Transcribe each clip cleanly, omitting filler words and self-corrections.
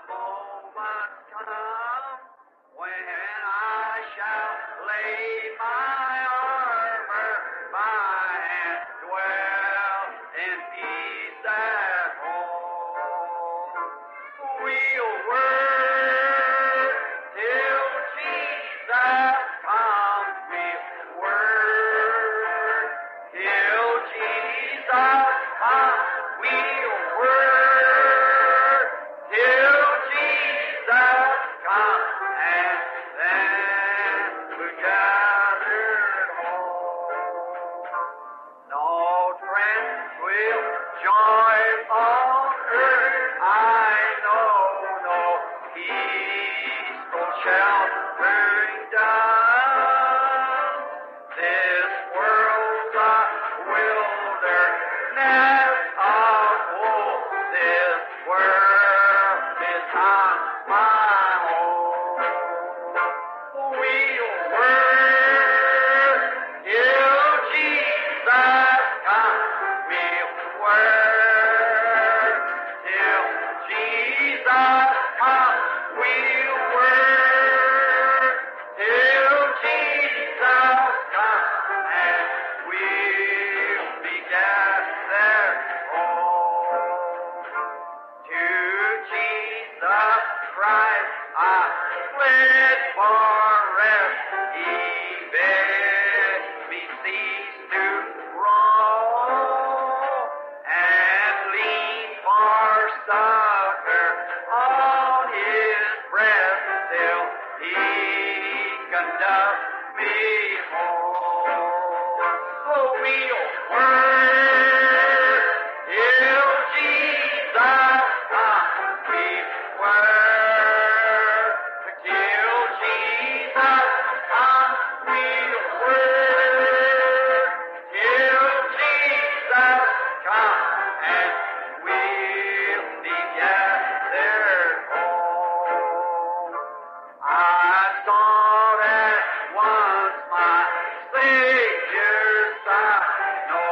moment's come when I shall lay my armor by and dwell in peace at home. We'll work till Jesus comes. We'll work till Jesus comes. We'll work till Jesus comes, and then we're gathered home. No tranquil joy on earth I know, no peaceful sheltering dove. This world's a wilderness of woe. This world is not my home. We'll work till Jesus comes. We'll work till Jesus comes. We'll work till Jesus comes, and we'll be gathered home. To Jesus Christ I fled for rest. He bid me cease to roam and lean for succor on his breast till he conduct me home. Oh, we'll work till Jesus comes. We work till Jesus comes. We'll work till Jesus comes, and we'll be gathered home. I sought at once my Savior's side. No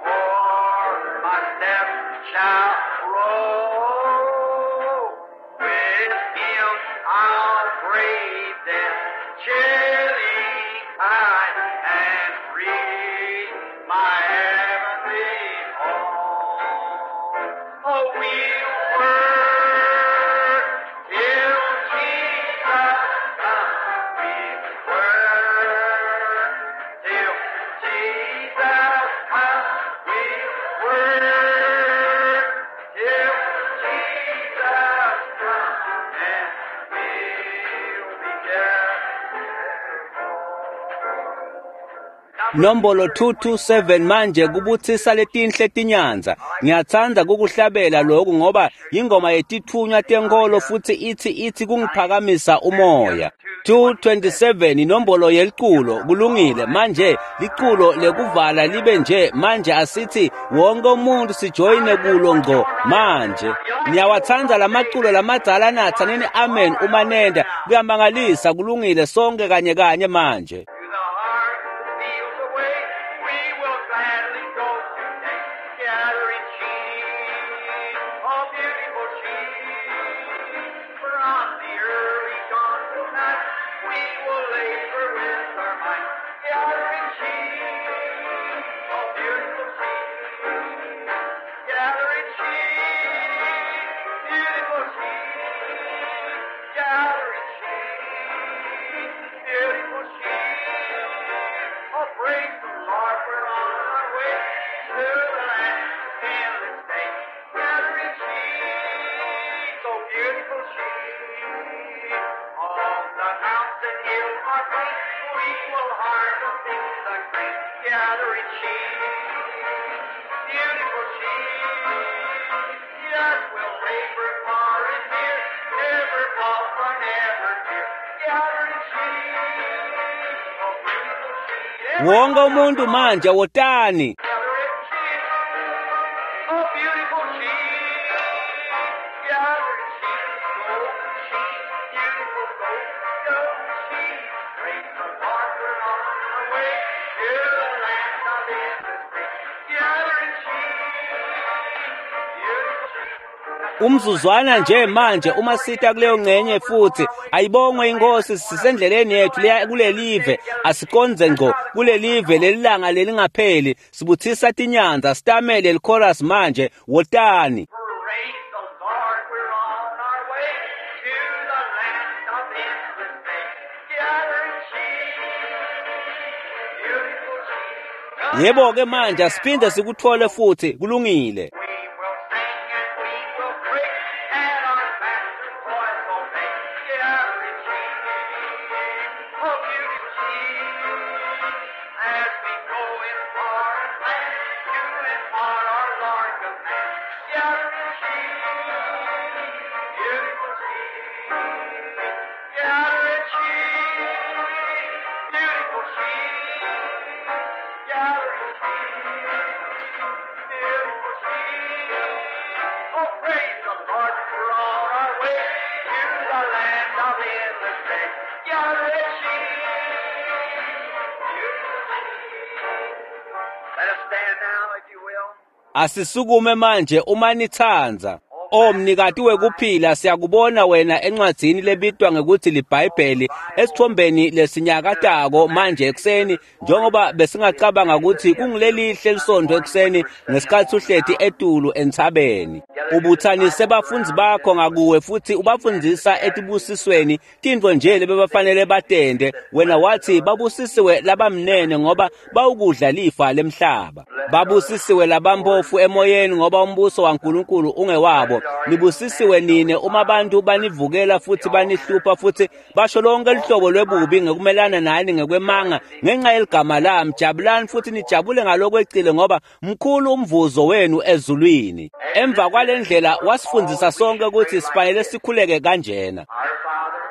more my steps shall roll. With him I'll brave death's chilling tide and reach my heavenly home. Oh, we'll work till Jesus comes. We'll work till Jesus comes. We'll work till Jesus comes, and we'll be gathered home. Nombolo 227 manje kubutsisa letinhle tinyanza. Ngiyatsandza kukuhlabela lokhu ngoba ingoma yetithunywa tenkolo futhi ithi kungiphakamisa umoya. 227 inombolo yeliculo. Kulungile, manje liculo lekuvala libe nje manje, asithi wonke umuntu sijoyine kulo ngco manje. Niyawatsandza lamaculo lamadzala nathanini amen uma nenda. Kuyamangalisa, kulungile, sonke kanye kanye manje. To the heart fields away, we will gladly go today, gathering sheep, oh beautiful sheep. From the early dawn till night, we will labor with our might, gathering sheep, oh beautiful sheep, gathering sheep, beautiful sheep, gathering sheep, beautiful sheep. Oh, praise the Lord, we're on our way to the land of endless day. Gathering sheep, so beautiful sheep. On the mountain hill or plain, we will harvest in the grain. Gathering sheep, beautiful sheep. Yes, we'll labor far and near, never fall or never fear. Gathering sheep, oh beautiful sheep. Wonke umuntu manje wotani. Gathering sheep, oh beautiful sheep, gathering sheep, golden sheep, beautiful gold, golden sheep. Praise the Lord, we're on our way to the land of endless day. Gathering sheep, beautiful sheep. Umzuzwana nje manje uma sita kuleyo ngcenye futhi ayibongwe inkosi, sisendleleni yethu leya kulelive, asikonze ngco kulelive lelilanga lelingapheli. Sibuthisa tinyanza, sitamele lichorus manje, wotani. Praise the Lord, we're on our way to the land of endless day. Gathering sheep, beautiful sheep. Yebo ke manje asiphinde sikuthole futhi, kulungile. We will sing and we will pray, and our Master's voice obey. Gathering sheep, oh beautiful sheep, as we go in foreign land to impart our Lord command. Gathering sheep, beautiful sheep, gathering sheep, beautiful sheep, gathering sheep. Beautiful sheep. Oh, praise the Lord, we're on our way to the land of endless day. Gathering sheep, beautiful sheep. Let us stand now, if you will. Asisukume manje uma nithanza. O mnikati wekuphila, siyakubona wena encwadzini lebitwa ngekuthi liBhayibheli, esithombeni lesinyakatako manje ekuseni, njengoba besingacabanga ukuthi kungilelihle lisontfo ekuseni ngesikhathi uhleti etulu entsabeni. Ubuthanise bafundzi bakho ngakuwe futhi ubafundzisa etibusisweni tintfo nje lebebafanele batente. Wena wathi babusisiwe labamnene ngoba bawukudla lifa lemhlaba. Babusisiwe labampofu emoyeni ngoba umbuso waNkulunkulu ungewabo. Nibusisiwe nine uma abantu banivukela futhi banihlupha futhi basho lonke luhlobo lwebubi ngekumelana nani ngekwemanga ngenxa yeligama lami. Jabulani futhi nijabule ngalokwecile ngoba mkhulu umvuzo wenu ezulwini. Emva kwale ndlela wasifundzisa sonke ukuthi sifanele sikhuleke kanjena. Our Father,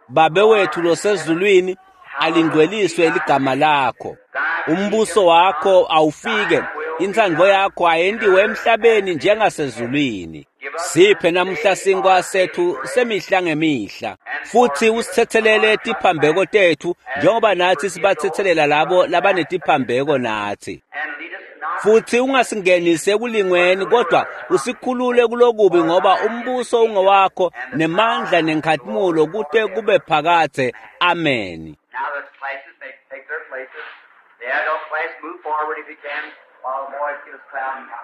Babe wethu losezulwini, alingcweliswe ligama lakho. Umbuso wakho awufike, intsandvo yakho ayentiwe emhlabeni njengasezulwini. Siphe namuhla sinkwa sethu semihla ngemihla, futhi usithethelele tiphambeko tethu njengoba nathi sibathethelela labo labanetiphambeko nathi. and lead us not Futhi ungasingenisi ekulingweni, kodwa usikhulule kulokubi, ngoba umbuso ungowakho nemandla nenkhatimulo kute kube phakadze. Amen. Now the classes may take their places. The adult class move forward if you can, while the boys give us cloud and time.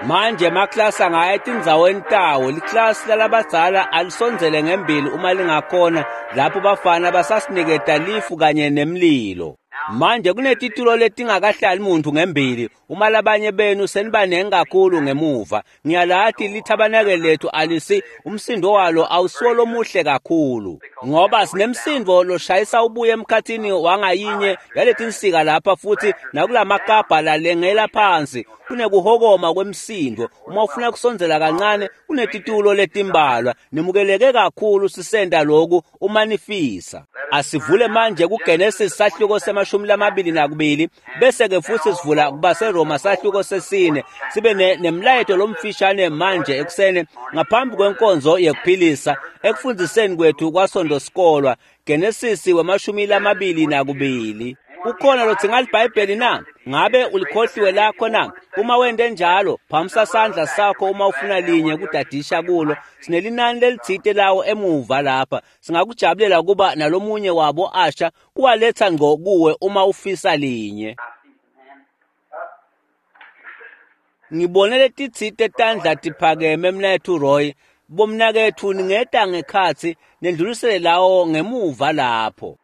Manje emaklasi angaya etindzaweni tawo. Liklasi lalabadzala alisondzele ngembili uma lingakhona, lapho bafana basasiniketa lifu kanye nemlilo. Manje kunetitulo letingakahlali muntu ngembili, uma labanye benu senibanengi kakhulu ngemuva. Ngiyalati lithabanakeli lethu alisi umsindo walo awusiwo lomuhle kakhulu, ngoba sinemsindo loshayisa ubuye emkhathini wangayinye yaletinsika lapha futhi nakulamakabha lalengela phansi. Kunekuhokoma kwemsindo. Uma ufuna kusondzela kancane, kunetitulo letimbalwa. Nimukeleke kakhulu sisenda loku uma nifisa. Asivule manje kuGenesis sahluko se-22, bese ke futhi sivula kubaseRoma sahluko se-4, sibe nemlayeto lomfishane manje ekuseni ngaphambi kwenkonzo yekuphilisa ekufundziseni kwethu kwaSonto sikolwa. Genesis we-22. Ukhona lodzinga liBhayibheli na? Ngabe ulikhohliwe lakho na? Uma wente njalo, phamisa sandla sakho uma ufuna linye kudadisha kulo. Sinelinani lelitsite lawo emuva lapha. Singakujabulela kuba nalomunye wabo asha kuwaletha ngco kuwe uma ufisa linye. I see some hands up. Ngibone letitsite tandla tiphakeme mnaketfu Roy. Bomnaketfu ningeta ngekhatsi nendlulisele lawo ngemuva lapho.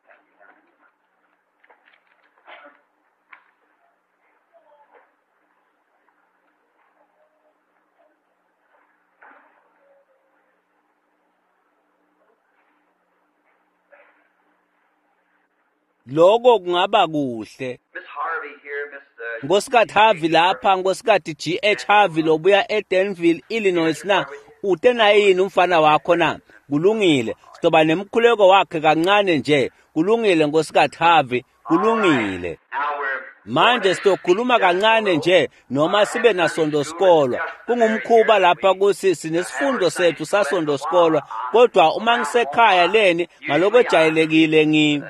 Loko kungaba kuhle. Miss Harvey here, Miss Nkosikazi Harvey lapha, Nkosikazi G.H. Harvey lobuya eDanville, Illinois na? Ute naye yini umfana wakho na? Kulungile. Sizoba nemkhuleko wakhe kancane nje. Kulungile Nkosikazi Harvey, kulungile. Now we're Manje sizokhuluma kancane nje noma sibe nasonto sikolwa. Kungumkhuba lapha kuthi sinesifundo sethu sasonto sikolwa, kodwa uma ngisekhaya leni ngalokwejayelekile ngi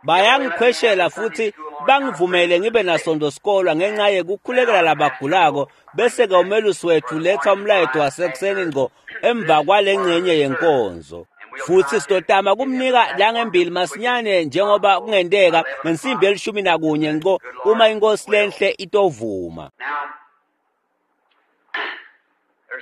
bayangikhweshela futhi bangivumele ngibe nasonto sikolwa ngenxa yekukhulekela labagulako, bese-ke umelusi wethu letha umlayeto wasekuseni ngco emva kwale ngcenye yenkonzo. Futhi sitotama kumnika langembili masinyane njengoba kungenteka ngensimbi 11 ngco uma inkosi lenhle itovuma.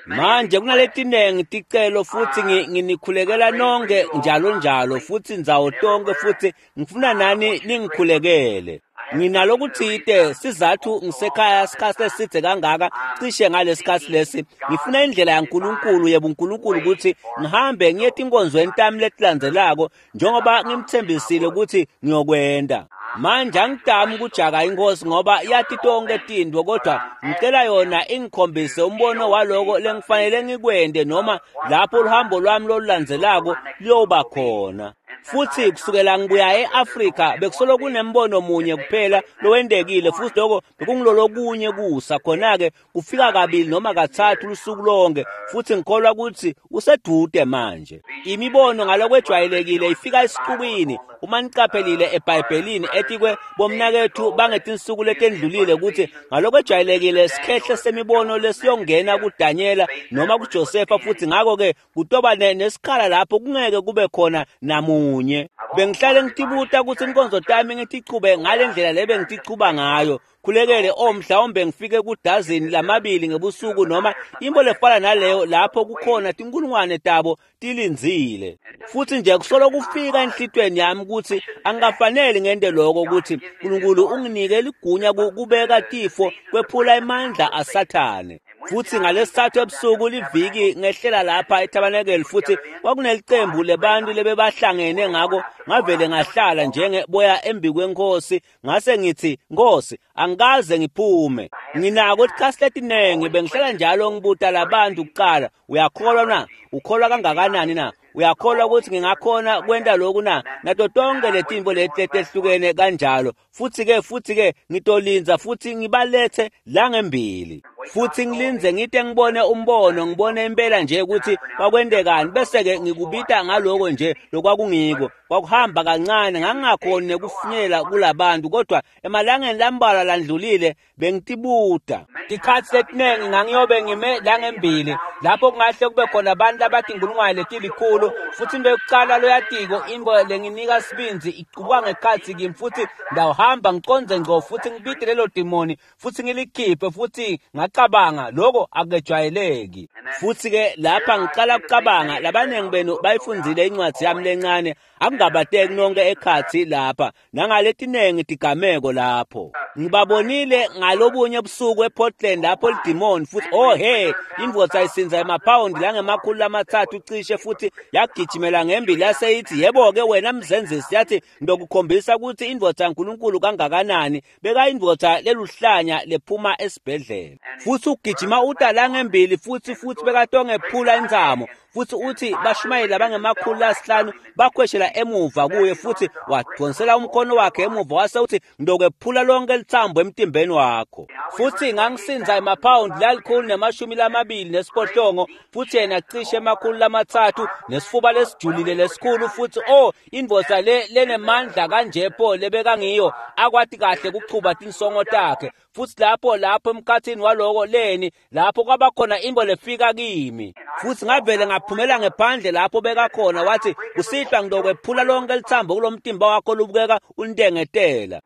Manje kunaletinengi ticelo futhi nginikhulekela nonke njalo njalo futhi ndzawo tonke futhi ngifuna nani ningikhulekele. Nginalokuthite sizathu ngisekhaya isikhathi eside kangaka cishe ngalesikhathi lesi ngifuna indlela yaNkulunkulu yebuNkulunkulu ukuthi ngihambe ngiye etinkonzweni tami letilandzelako njengoba ngimthembisile ukuthi ngiyokwenda. Manje angidami ukujaka inkosi ngoba yathi tonke tintfo, kodwa ngicela yona ingikhombise umbono waloko lengifanele ngikwende noma lapho uhambo lwami lolulandzelako luyoba khona. Futhi kusukela ngibuya e-Afrika bekusolo kunembono munye kuphela lowendekile, futhi lokho bekungilolokunye kusa. Khona-ke kufika kabili noma kathathu lusuku lonke, futhi ngikholwa ukuthi usedude manje. Imibono ngalokwejwayelekile ifika esixukwini. Uma niqaphelile eBhayibhelini etikwe bomnakethu bangetinsuku letendlulile ukuthi ngalokwejwayelekile sikhehle semibono lesiyongena kuDanyela noma kuJosefa, futhi ngakho-ke kutoba nesikhala lapho kungeke kube khona namunye. Bengihlale ngitibuta ukuthi inkonzo tami ngitichube ngale ndlela le bengitichuba ngayo. Khulekele mhlawumbe ngifike kudazini lamabili ngebusuku noma into lefana naleyo lapho kukhona tinkulungwane tabo tilindzile. Futhi nje kusolo kufika enhlitweni yami ukuthi angikafanele ngente lokho, ukuthi uNkulunkulu unginike ligunya kubeka tifo kwephula emandla aSathane. Futhi ngalesithathu ebusuku liviki ngehlela lapha eTabernacle, futhi kwakunelicembu lebantu lebebahlangene, ngako ngavele ngahlala njengeboya embi kwenkosi, ngase ngithi, Nkosi, angikaze ngiphume. Nginako isikhathi letinengi bengihlala njalo ngibuta labantu kuqala, uyakholwa na? Ukholwa kangakanani na? Uyakholwa ukuthi ngingakhona kwenta lokhu na? Nato tonke letinto leti letehlukene kanjalo. Futhi-ke ngitolinza futhi ngibalethe la ngembili. Futhi ngilinze ngite ngibone umbono, ngibone impela nje ukuthi kwakwendekani, bese-ke ngikubita ngaloko nje lokwakungiko. Kwakuhamba kancane, ngangingakhoni nekufinyela kulabantu, kodwa emalangeni lambalwa landlulile bengitibuta. Tikhatsi letinengi ngangiyobe ngime la ngembili lapho kungahle kube khona abantu abatinkulungwane letilikhulu, futhi into yokucala loyatiko into lenginika sibindzi iqubuka ngekhatsi kimi, futhi ndawuhamba ngiconze ngco futhi ngibite lelo dimoni futhi ngilikhiphe, futhi ngacabanga lokho akujwayeleki. Futhi-ke lapha ngicala ukucabanga, labaningi benu bayifundzile incwadi yami lencane, akungabateki nonke ekhatsi lapha nangaletinengi tigameko lapho. Ngibabonile ngalobunye ebusuku ePortland lapho lidimoni futhi oh he, indvodza isinza emaphawundi langemakhulu 3 cishe, futhi yagijimela ngembili yaseyithi, yebo-ke wena mzenzisi, yathi ngitokukhombisa ukuthi indvodza yaNkulunkulu kangakanani. Bekayindvodza leluhlanya lephuma esibhedlela, futhi ugijima uta la ngembili futhi bekatongephula intsamo, futhi uthi bashumayeli abangemakhulu 5 bakhweshela emuva kuye, futhi wadonsela umkhono wakhe emuva wase uthi ngitokwephula lonke litsambo emtimbeni wakho. Futhi ngangisinza emaphawundi 128, futhi yena cishe 300 nesifuba lesijulile lesikhulu, futhi oh indvodza le lenemandla kanje pho lebekangiyo, akwati kahle kuchuba tinsongo takhe. Futhi lapho emkhathini waloko leni lapho kwabakhona into lefika kimi, futhi ngavele ngaphumela ngephandle lapho bekakhona, wathi kusihlwa ngitokwephula lonke litsambo kulomtimba wakho lubukeka untengetela.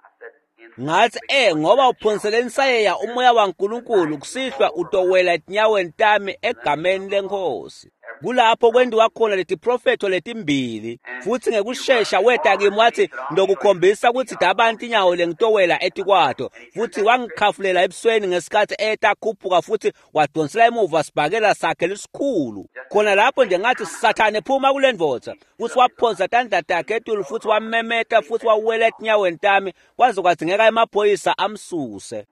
Ngathi ngoba uphonsele insayeya umoya waNkulunkulu, kusihlwa utowela etinyaweni tami egameni lenkosi. Kulapho kwendiwa khona letiprofetho letimbili, futhi ngekushesha weta kimi wathi ngitokukhombisa ukuthi dabantu inyawo lengitowela etikwato, futhi wangikhafulela ebusweni ngesikhathi eta khuphuka, futhi wadonsela emuva sibhakela sakhe lesikhulu. Khona lapho nje ngathi, Sathane phuma kule ndvodza, futhi waphonsa tandla takhe etulu futhi wamemeta futhi wawela etinyaweni tami, kwaze kwadzingeka emaphoyisa amsuse.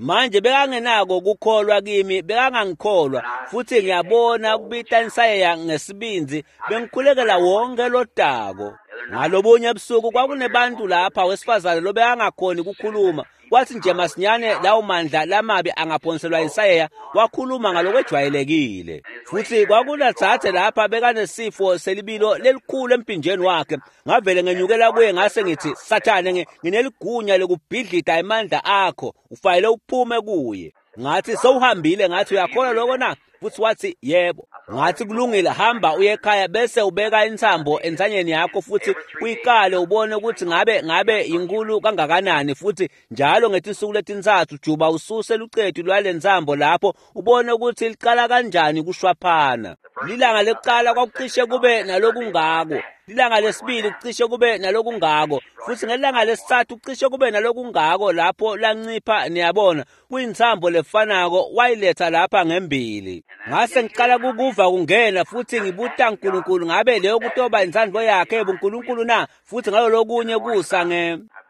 Manje bekangenako kukholwa kimi, bekangangikholwa, futhi ngiyabona kubita insayeya ngesibindzi, bengikhulekela wonke lodako. Ngalobunye ebusuku kwakunebantu lapha wesifazane lobekangakhoni ukukhuluma, Kwathi nje masinyane lawo mandla lamabi angaphonselwa insayeya, wakhuluma ngalokwejwayelekile. Futhi kwakunadzadze lapha bekanesifo selibilo lelikhulu empinjeni wakhe. Ngavele ngenyukela kuye ngase ngithi, Sathane, ngineligunya lekubhidlita emandla akho, ufanele uphume kuye. Ngathi sewuhambile, ngathi uyakholwa lokho na? Futhi wathi yebo. Ngathi kulungile, hamba uye ekhaya bese ubeka intsambo entsanyeni yakho futhi uyikale ubone ukuthi ngabe inkulu kangakanani, futhi njalo ngetinsuku letintsatfu juba ususe lucetu lwalentsambo lapho ubone ukuthi liqala kanjani kushwaphana. Lilanga lekuqala kwakucishe kube nalokungako, lilanga lesibili kucishe kube nalokungako, futhi ngelanga lesithathu kucishe kube nalokungako lapho lancipha. Niyabona, kuyintsambo lefanako wayiletha lapha ngembili. Ngase ngiqala kukuva kungena futhi ngibuta uNkulunkulu ngabe leyo kutoba intsandvo yakhe ebuNkulunkulu na? Futhi ngalolokunye kusa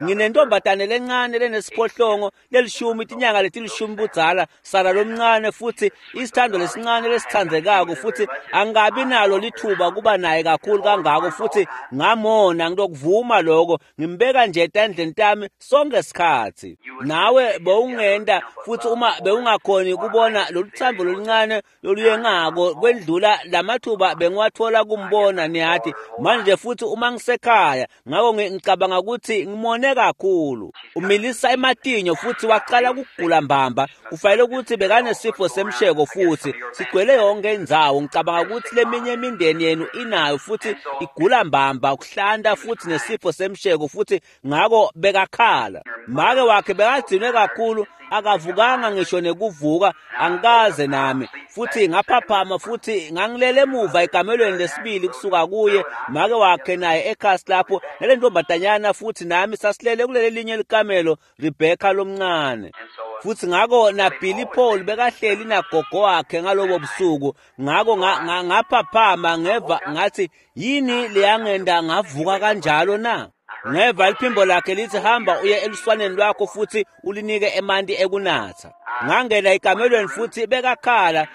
nginentombatane lencane lenesiphohlongo lelishumi, tinyanga letilishumi budzala, sala lomncane, futhi isithando lesincane lesithandzekako, futhi angabi nalo lithuba kuba naye kakhulu kangako, futhi ngamona ngilokuvuma lokho, ngimbeka nje etandleni tami sonke isikhathi. Nawe bewungenda futhi uma bewungakhoni kubona loluthambo loluncane loluyengako kwendlula lamathuba bengiwathola kumbona, niyathi manje futhi uma ngisekhaya. Ngakho ngicabanga ukuthi ngimone kakhulu. Umilisa ematinyo futhi waqala ukugula mbamba. Kufanele ukuthi bekanesifo semsheko futhi sigcwele yonke indzawo. Ngicabanga ukuthi leminye imindeni yenu inayo futhi igula mbamba, ukuhlanta futhi nesifo semsheko futhi. Ngakho bekakhala. Make wakhe bekagcinwe kakhulu, akavukanga ngisho nekuvuka, angikaze nami. Futhi ngaphaphama futhi ngangilele emuva ekamelweni lesibili kusuka kuye, make wakhe naye ekhasi lapho nale ntombatanyana, futhi nami sasilele kuleli linye likamelo, Rebecca lomncane. Futhi ngakho na Billy Paul bekahleli nagogo wakhe ngalobo busuku. Ngakho ngaphaphama ngeva ngathi yini leyangenda ngavuka kanjalo na? Ngeva liphimbo lakhe lithi hamba uye eluswaneni lwakho futhi ulinike emanti ekunatha. Ngangena ekamelweni futhi bekakhala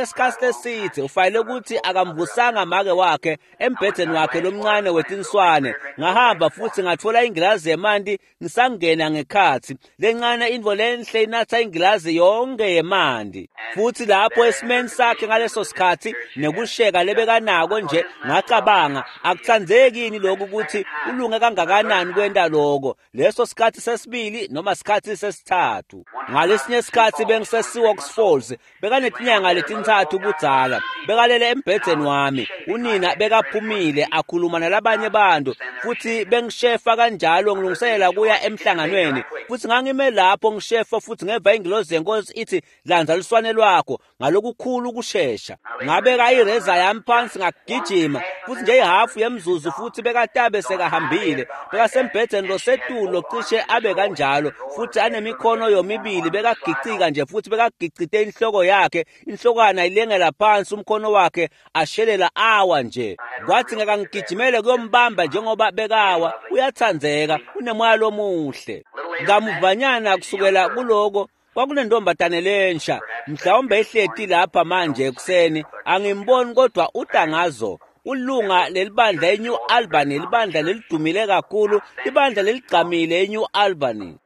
isikhathi eside. Ufanele ukuthi akamvusanga make wakhe embhedeni wakhe lomncane wetinswane. Ngahamba futhi ngathola ingilazi yemanti ngisangena ngekhathi. Lencane intfo lenhle inatha ingilazi yonke yemanti. Futhi lapho esimeni sakhe ngaleso sikhathi nekusheka lebekanako nje, ngacabanga akuthandzeki yini lokhu ukuthi ulunge kangakanani kwenta lokho. Leso sikhathi sesibili noma sikhathi sesithathu. Ngalesinye isikhathi bengisesiwox Falls, bekanetinyanga letintsatfu budzala, bekalele embhedzeni wami. Unina bekaphumile akhuluma nalabanye bantu, futhi bengishefa kanjalo ngilungiselela kuya emhlanganweni. Futhi ngangime lapho ngishefa futhi ngeva ingilozi yenkosi ithi landza luswane lwakho ngalokukhulu ukushesha. Ngabeka ireza yami phansi ngagijima futhi nje ihafu yemzuzu futhi bekatabe sekahambile. Bekasembhedzeni losetulo cishe abe kanjalo futhi anemikhono yomibili, bekagicika nje futhi bekagicite inhloko yakhe, inhlokwana ilengela phansi, umkhono wakhe ashelela awa nje. Kwathi ngakangigijimele kuyombamba njengoba bekawa. Uyathandzeka, unemoya lomuhle. Ngamuvanyana kusukela kuloko kwakunentombatane lensha, mhlawumbe ihleti lapha manje ekuseni, angimboni kodwa utangazo. Ulunga lelibandla eNew Albany, libandla lelidumile kakhulu, libandla leligqamile eNew Albany.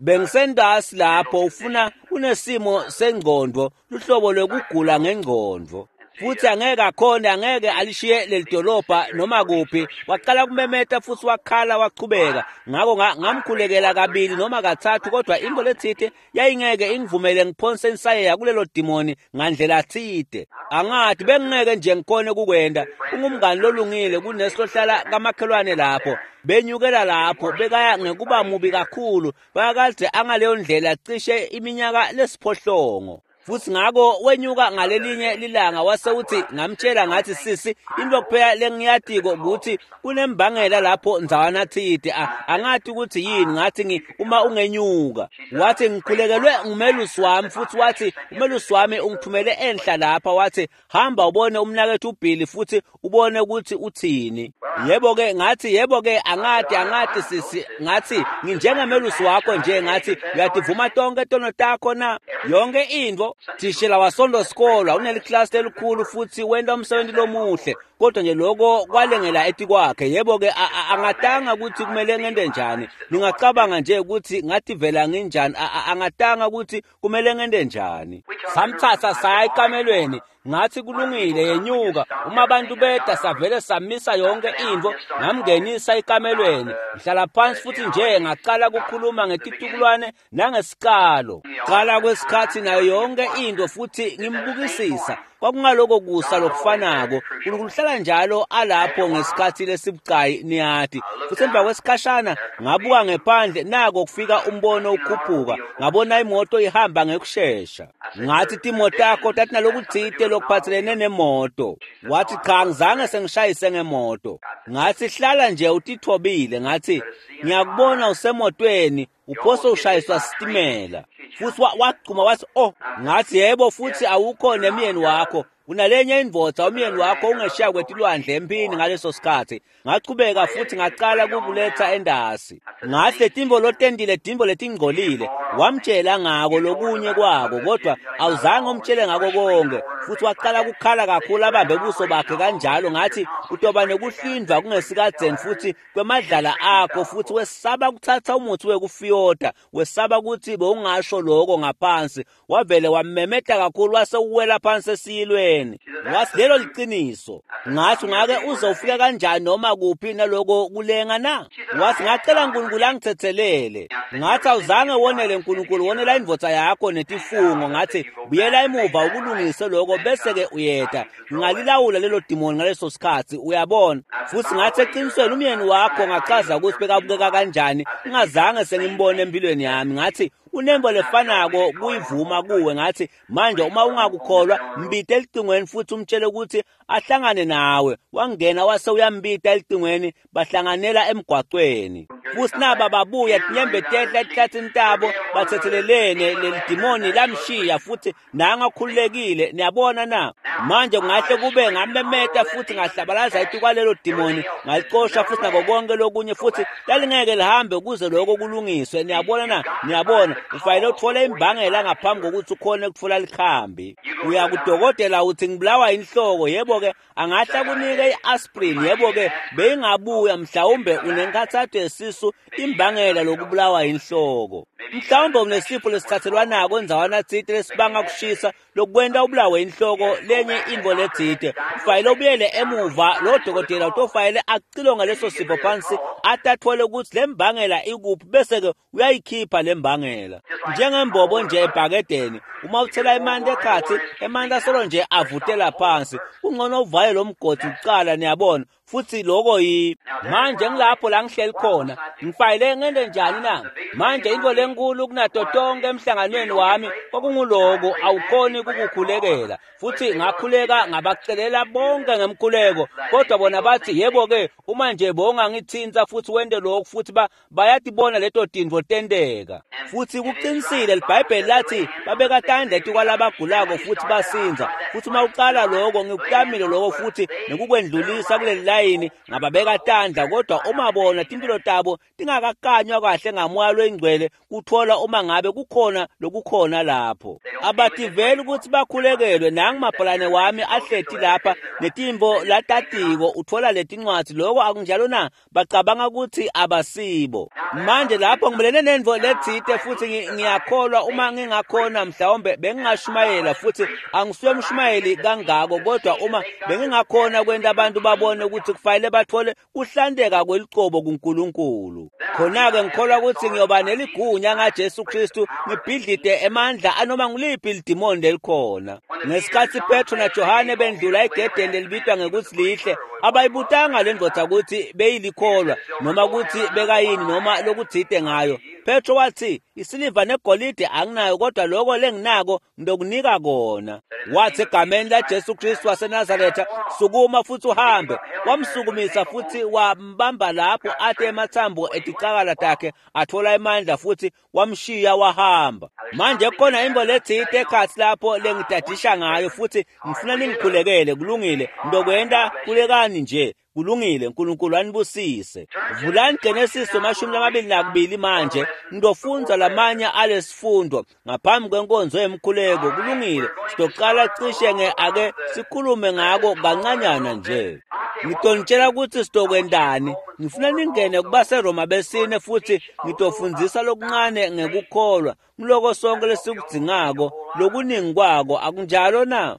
Bengisendasi lapho ufuna unesimo sengqondo, luhlobo lwekugula ngengqondo. Futhi angeke akhone, angeke alishiye lelidolobha noma kuphi. Waqala kumemeta futhi wakhala wachubeka. Ngakho ngamkhulekela kabili noma kathathu, kodwa into lethite yayingeke ingivumele ngiphonse insayeya kulelo dimoni ngandlela thide. Angathi bengingeke nje ngikhone kukwenda. Ungumngani lolungile kunesihlohlala kamakhelwane lapho. Benyukela lapho bekaya ngekuba mubi kakhulu, bayakade angaleyo ndlela cishe iminyaka lesiphohlongo. Futhi ngakho wenyuka ngalelinye lilanga wase uthi, ngamtshela ngathi sisi, into kuphela lengiyatiko ukuthi kunembangela lapho ndzawana thide, angathi ukuthi yini. Ngathi uma ungenyuka. Wathi ngikhulekelwe ngumelusi wami, futhi wathi umelusi wami ungithumele enhla lapha, wathi hamba ubone umnakethu uBilly futhi ubone ukuthi uthini. Yebo ke ngathi, yebo ke angathi sisi, ngathi nginjengemelusi wakho nje, ngathi uyativuma tonke tono takho na yonke into. Thishela wasonto sikolwa uneliklasi elikhulu futhi wenta umsebenzi lomuhle. Kodwa nje lokho kwalengela etikwakhe. Yebo-ke angatanga ukuthi kumele ngente njani. Ningacabanga nje ukuthi ngativela nginjani. Angatanga ukuthi kumele ngente njani. Samthatha saya ekamelweni. Ngathi kulungile yenyuka. Uma abantu beda savele samisa yonke intfo, ngamngenisa ekamelweni. Ngihlala phansi futhi nje ngaqala ukukhuluma ngetitukulwane nangesikalo. Qala kwesikhathi nayo yonke into futhi ngimbukisisa. Kwakungaloko kusa lokufanako. uNkulunkulu uhlala njalo alapho ngesikhathi lesibucayi niyati. Futhi emva kwesikhashana ngabuka ngephandle, nako kufika umbono ukhuphuka. Ngabona imoto ihamba ngekushesha. Ngathi timoto takho tatinalokutsite lokuphathelene nemoto. Wathi cha, ngizange sengishayise ngemoto. Ngathi hlala nje utithobile. Ngathi ngiyakubona usemotweni uphose ushayiswa sitimela. Futhi wagcuma wathi oh. Ngathi yebo, futhi awukho nemyeni wakho. Unalenye indvodza umyeni wakho ungeshiya kwetilwandle empini ngaleso sikhathi. Ngachubeka futhi ngaqala kukuletha endasi. Ngathi letimbo lotendile timbo letingcolile. Wamtshela ngako lokunye kwako, kodwa awuzange umtshele ngako konke. Futhi waqala ukukhala kakhulu abambe ubuso bakhe kanjalo. Ngathi utoba nekuhlindwa kungesikadzeni futhi kwemadlala akho, futhi wesaba kuthatha umuthi wekufiyota, wesaba ukuthi bowungasho lokho ngaphansi. Wavele wamemeta kakhulu wase uwela phansi esiyilweni. Wathi lelo liqiniso. Ngathi ungake uze ufike kanjani noma kuphi naloko kulenga na? Wathi ngacela uNkulunkulu angithethelele. Ngathi awuzange wonele uNkulunkulu, wonela indvodza yakho netifungo. Ngathi buyela emuva ukulungise lokho bese ke uyeta. Ngingalilawula lelo dimoni ngaleso sikhathi, uyabona. Futhi ngathi eqinisweni umyeni wakho ngachaza ukuthi bekabukeka kanjani, ngingazange sengimbone empilweni yami. Ngathi unembo lefanako kuyivuma kuwe. Ngathi manje uma ungakukholwa mbite elicingweni futhi umtshele ukuthi ahlangane nawe. Wangena wase uyambita elicingweni, bahlanganela emgwaqweni. Futhi naba babuya tinyembe tehla etihlathini tabo, bathethelelene. Leli dimoni lamshiya futhi nangakhululekile. Niyabona na? Manje kungahle kube ngamemeta futhi ngahlabalaza etikwalelo dimoni, ngalicosha futhi nako konke lokunye, futhi lalingeke lihambe ukuze lokho kulungiswe. Niyabona na? Niyabona, ufanele uthole imbangela ngaphambi kokuthi ukhone ukuthola likhambi. Uya kudokotela uthi ngibulawa inhloko. Yebo-ke angahle akunike i-aspirin. Yebo-ke beyingabuya, mhlawumbe unenkathatho yesisu, imbangela lokubulawa inhloko. Mhlawumbe unesifo lesithathelwanako endzawana tsite lesibanga kushisa lokwenta ubulawe inhloko, lenye intfo letsite. Ufanele ubuyele emuva, lo dokotela utofanele acilonge leso sifo phansi atathole ukuthi lembangela ikuphi, bese-ke uyayikhipha lembangela. Njengembobo nje ebhakedeni, uma uthela emanti ekhatsi, emanti asolo nje avutela phansi. Kungcono uvale lo mgodi kucala, niyabona. Futhi lokho yi manje ngilapho la ngihleli khona. Ngifanele ngente njani na? Manje into lenkulu kunato tonke emhlanganweni wami kwakunguloko awukhoni ukukukhulekela. Futhi ngakhuleka ngabacelela bonke ngemkhuleko, kodwa bona bathi yebo-ke uma nje bowungangithinta futhi wente lokhu, futhi bayatibona leto tintfo tenteka. Futhi kuqinisile, liBhayibheli lathi babeka tandla etikwalabagulako futhi basinza. Futhi uma uqala lokho, ngikutamile lokho futhi nekukwendlulisa kuleli layini, ngababeka tandla, kodwa uma bona timpilo tabo tingakakanywa kahle ngamoya loyingcwele kuthola uma ngabe kukhona lokukhona lapho. Abativeli ukuthi bakhulekelwe. Nangu mabhalane wami ahleti lapha netimvo latatiko, uthola letincwadi. Lokho akunjalo na? Bacabanga ukuthi abasibo. Manje lapho ngimelene nendvo letsite futhi ngiyakholwa uma ngingakhona mhlawumbe bengingashumayela, futhi angisuye umshumayeli kangako, kodwa uma bengingakhona kwenta abantu babone ukuthi kufanele bathole kuhlanteka kwelicobo kuNkulunkulu, khona-ke ngikholwa ukuthi ngiyoba neligunya ngaJesu Kristu ngibhidlide emandla anoma nguliphi lidimoni lelikhona. Ngesikhathi Petro naJohane bendlula egedeni lelibitwa ngekuthi lihle, abayibutanga le ndvodza ukuthi beyilikholwa noma ukuthi bekayini noma lokutsite ngayo. Petro wathi isiliva negolide anginayo, kodwa lokho lenginako ngiyokunika kona. Wathi egameni laJesu Kristu waseNazaretha, sukuma futhi uhambe. Wamsukumisa futhi wambamba lapho ate emathambo eticakala takhe athola amandla futhi wamshiya wahamba. Manje kukhona into letsite ekhatsi lapho lengidadisha ngayo futhi ngifuna ningikhulekele. Kulungile, ngizokwenta kulekani nje. Kulungile, uNkulunkulu anibusise. Vulani Genesis 22 manje, ngidofundza lamanye alesifundo ngaphambi kwenkonzo yemkhuleko. Kulungile, sizoqala cishe ake sikhulume ngako kancanyana nje. Ngitonitshela ukuthi sitokwendani. Ngifuna ningene kubaseRoma besine futhi ngitofundzisa lokuncane ngekukholwa. Ngiloko sonke lesikudzingako, lokuningi kwako, akunjalo na?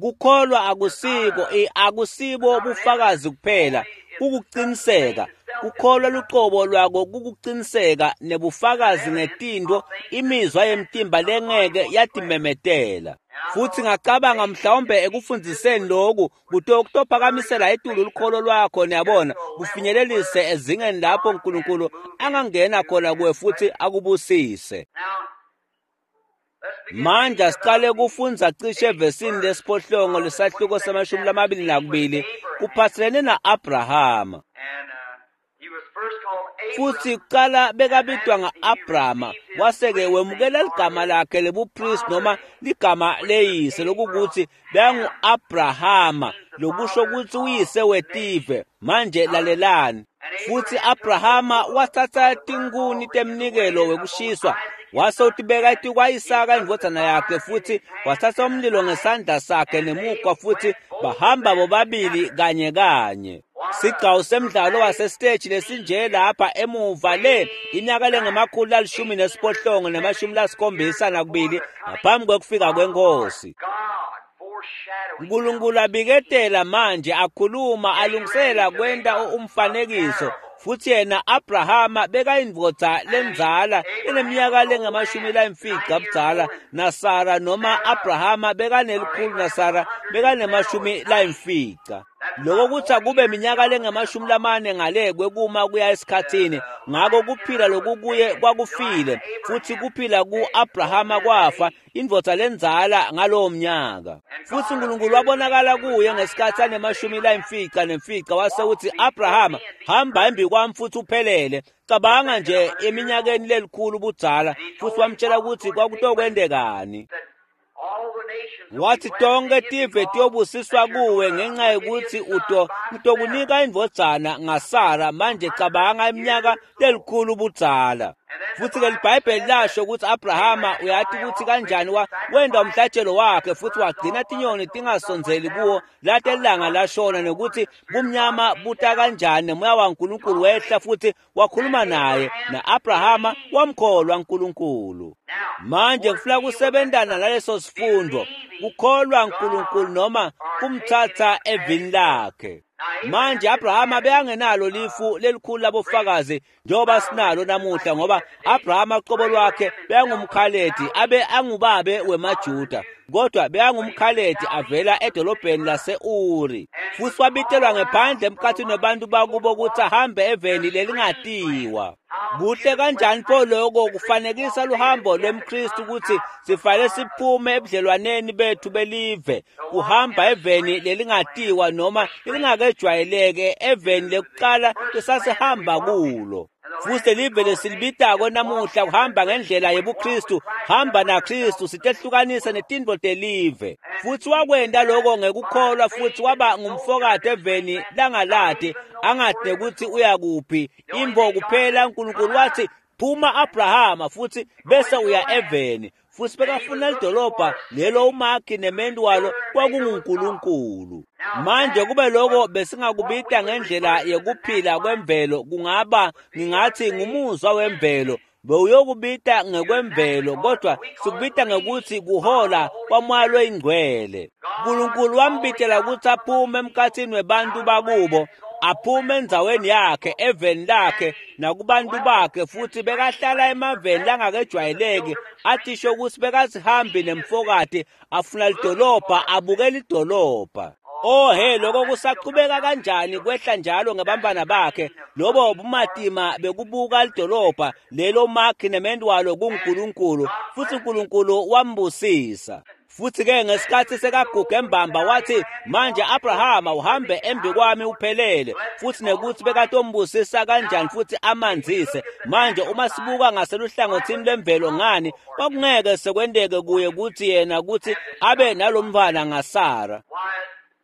Kukholwa akusiko akusibo bufakazi kuphela, kukuqiniseka. Kukholwa luqobo lwako kukuqiniseka nebufakazi ngetinto imizwa yemtimba lengeke yatimemetela. Futhi ngacabanga mhlawumbe ekufundziseni lokhu kutophakamisela etulu lukholo lwakho, niyabona, kufinyelelise ezingeni lapho uNkulunkulu angangena khona kuwe futhi akubusise. Manje asiqale kufundza cishe evesini lesiphohlongo lesahluko se-22 kuphathelene na-Abrahama. Futhi kuqala bekabitwa nga-Abrama, wase-ke wemukela ligama lakhe lebupristi noma ligama leyise, lokukuthi bekangu-Abrahama, lokusho ukuthi uyise wetive. Manje lalelani. Futhi Abrahama wathatha tinkuni temnikelo wekushiswa, wase utibeka etikwa-Isaka indvodzana yakhe, futhi wathatha umlilo ngesandla sakhe nemukwa, futhi bahamba bobabili kanye kanye. Sigcawu semdlalo wasesiteji lesinje lapha emuva le iminyaka lengama-118 ne-72 ngaphambi kwekufika kwenkosi. uNkulunkulu abiketela manje, akhuluma, alungisela kwenta umfanekiso. Futhi yena Abrahama bekayindvodza lendzala eneminyaka lengama-50 budzala, naSara noma Abrahama bekanelikhulu naSara bekanemashumi-50. Lokho kuthi akube iminyaka lengama-40 ngale kwekuma kuya esikhathini. Ngako kuphila lokukuye kwakufile, futhi kuphila ku-Abrahama kwafa, indvodza lendzala ngalowo mnyaka. Futhi uNkulunkulu wabonakala kuye ngesikhathi anemashumi-59, wase uthi, Abrahama, hamba embi kwami futhi uphelele. Cabanga nje eminyakeni lelikhulu budzala, futhi wamtshela ukuthi kwakutokwendekani. Wathi tonke tive tiyobusiswa kuwe ngenxa yokuthi utokunika indvodzana ngaSara. Manje cabanga iminyaka lelikhulu budzala. Futhi-ke liBhayibheli lasho ukuthi Abrahama uyati ukuthi kanjani wenda umhlatshelo wakhe, futhi wagcina tinyoni tingasondzeli kuwo late ilanga lashona, nokuthi bumnyama buta kanjani, nemoya waNkulunkulu wehla futhi wakhuluma naye, na-Abrahama wamkholwa uNkulunkulu. Manje kufuna kusebentana naleso sifundo, kukholwa uNkulunkulu noma kumthatha evini lakhe. Manje Abrahama bekangenalo lifu lelikhulu labofakazi njengoba sinalo namuhla, ngoba Abrahama qobo lwakhe bekangumkhaledi, abe angubabe wemaJuda, kodwa bekangumkhaledi avela edolobheni lase-Uri. Futhi wabitelwa ngephandle emkhathini wabantu bakubo ukuthi ahambe eveni lelingatiwa. Kuhle kanjani pho lokho kufanekisa luhambo lwemKristu, ukuthi sifanele siphume ebudlelwaneni bethu belive, kuhamba eveni lelingatiwa noma lelingakejwayeleke, eveni lekuqala lesasihamba kulo. Futhi live lesilibitako namuhla kuhamba ngendlela yebuKristu, hamba naKristu, sitehlukanisa netintfo telive. Futhi wakwenta lokho ngekukholwa, futhi waba ngumfokati eveni langalati, angati nekuthi uyakuphi. Imbo kuphela uNkulunkulu wathi, phuma Abrahama, futhi bese uya eveni. Futhi bekafuna lidolobha lelo umakhi nementu walo kwakunguNkulunkulu. Manje kube lokho besingakubita ngendlela yekuphila kwemvelo, kungaba ngingathi ngumuzwa wemvelo, bewuyokubita ngekwemvelo, kodwa sikubita ngekuthi kuhola kwaMoya loyiNgcwele. uNkulunkulu wambitela ukuthi aphume emkhathini webantu bakubo, aphume endzaweni yakhe, eveni lakhe, nakubantu bakhe, futhi bekahlala emaveni langakejwayeleki, athisho ukuthi bekasihambi nemfokati, afuna lidolobha, abukela idolobha. Oh he, lokho kusaqhubeka kanjani kwehla njalo ngebambana bakhe. Lobo bumatima bekubuka lidolobha lelo makhi nemendwalo kunguNkulunkulu, futhi uNkulunkulu wambusisa. Futhi-ke ngesikhathi sekaguge embamba wathi, manje Abrahama uhambe embi kwami uphelele, futhi nekuthi bekatombusisa kanjani futhi amanzise. Manje uma sibuka ngaseluhlangothini lwemvelo, ngani kwakungeke sekwenteke kuye ukuthi yena ukuthi abe nalomntwana ngaSara.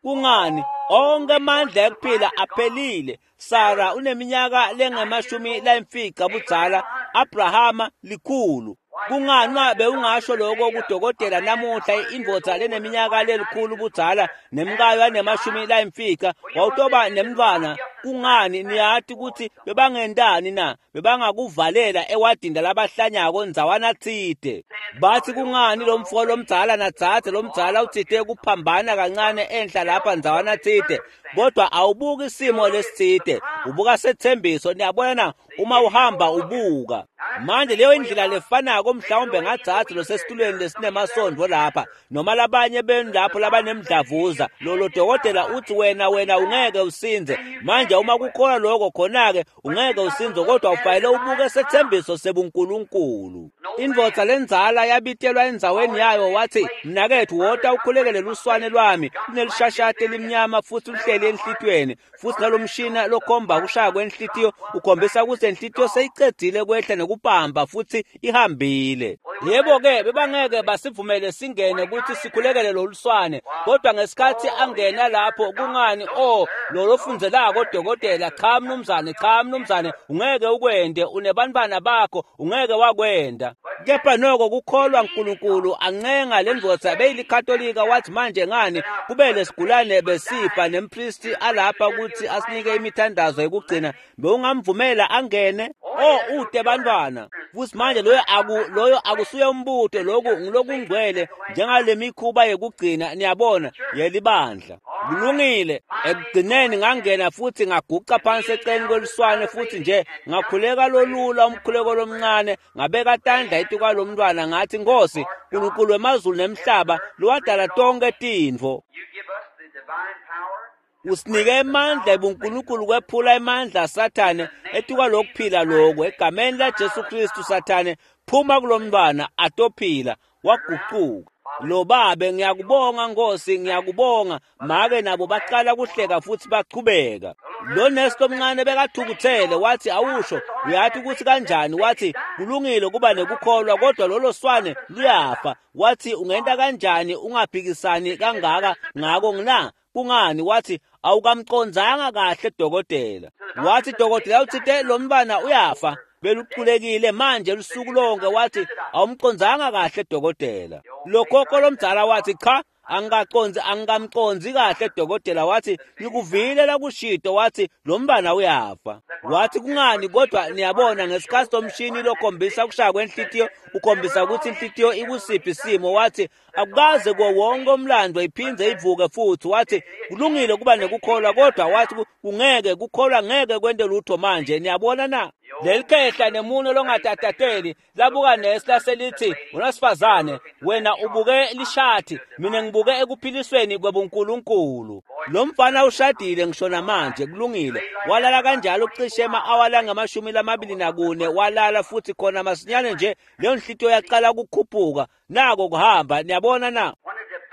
Kungani? Onke amandla ekuphila aphelile. Sara uneminyaka lengamashumi layimfica budzala, Abrahama 100. Kungani bewungasho lokho kudokotela namuhla, indvodza leneminyaka lelikhulu budzala nemkayo anemashumi layimfica wawutoba nemntfwana? Kungani, niyati kutsi bebangentani na? Bebangakuvalela ewadini labahlanyako ndzawana tsite. Bathi, kungani, lo mfo lomdzala nadzadze lomdzala utsite kuphambana kancane enhla lapha ndzawana tsite. Kodwa awubuki isimo lesitsite, ubuka sethembiso. Niyabona na? Uma uhamba ubuka manje leyo indlela lefanako, mhlawumbe ngadzadze losesitulweni lesinemasondvo lapha noma labanye benu lapho labanemdlavuza, lolo dokotela uthi wena ungeke usindze. Manje uma kukholwa lokho, khona-ke ungeke usindze, kodwa ufanele ubuke sethembiso sebuNkulunkulu. Indvodza lendzala yabitelwa endzaweni yayo, wathi, mnaketfu, wota ukhulekele luswane lwami, lunelishashati elimnyama futhi luhleli enhlitiyweni, futhi nalomshina lokhomba kushaya kwenhlitiyo ukhombisa ukuthi enhlitiyo seyicedzile kwehla nekupampa futhi ihambile. Yebo-ke, bebangeke basivumele singene ukuthi sikhulekele loluswane, kodwa ngesikhathi angena lapho, kungani, o lo lofundzelako dokotela, cha mnumzane, cha mnumzane, ungeke ukwente, unebantfwana bakho, ungeke wakwenta. Kepha noko kukholwa uNkulunkulu ancenga le ndvodza beyilikatolika, wathi, manje ngani, kube lesigulane besifa nempristi alapha ukuthi asinike imithandazo yekugcina, bewungamvumela angene? O, ute bantwana futhi manje. Loyo akusuye umbuto, lokhu ngilokungcwele njengale mikhuba yekugcina, niyabona, yelibandla. Kulungile. Ekugcineni ngangena futhi ngaguca phansi eceleni kweluswane futhi nje ngakhuleka lolula umkhuleko lomncane, ngabeka tandla etikwalomntwana, ngathi, Nkosi Nkulunkulu wemazulu nemhlaba lowadala tonke tintfo, You give us the divine power usinike emandla ebuNkulunkulu kwephula emandla aSathane etikwalokuphila lokhu. Egameni laJesu Kristu, Sathane, phuma kulomntwana, atophila. Wagucuka lo babe. Ngiyakubonga Nkosi, ngiyakubonga. Make nabo baqala kuhleka futhi bachubeka. Lo nesi lomncane bekathukuthele, wathi, awusho, uyathi ukuthi kanjani? Wathi, kulungile kuba nekukholwa, kodwa lolo swane luyafa. Wathi, ungenta kanjani ungaphikisani kangaka ngako na? Kungani, wathi, awukamcondzanga kahle dokotela. Wathi, dokotela utsite lo mntwana uyafa, beluculekile manje lusuku lonke. Wathi, awumcondzanga kahle dokotela. Lokhokho lomdzala wathi, cha, angikacondzi, angikamcondzi kahle dokotela. Wathi, ngikuvile lakushito, wathi lo mntwana uyafa. Wathi, kungani, kodwa niyabona, ngesikhathi lomshini lokhombisa kushaya kwenhlitiyo ukhombisa ukuthi inhlitiyo ikusiphi isimo, wathi, akukaze kuwo wonke umlando iphindze ivuke futhi. Wathi, kulungile kuba nekukholwa, kodwa wathi, kungeke kukholwa ngeke kwente lutho manje. Niyabona na? Leli khehla nemuno longatatateli labuka nesi laselithi, unasifazane, wena ubuke lishathi, mina ngibuke ekuphilisweni kwebuNkulunkulu. Lo mfana ushadile ngisho namanje. Kulungile. Walala kanjalo cishe ema-awa langamashumi lamabili nakune, walala futhi khona masinyane nje leyo nhlitiyo yaqala ukukhuphuka, nako kuhamba. Niyabona na?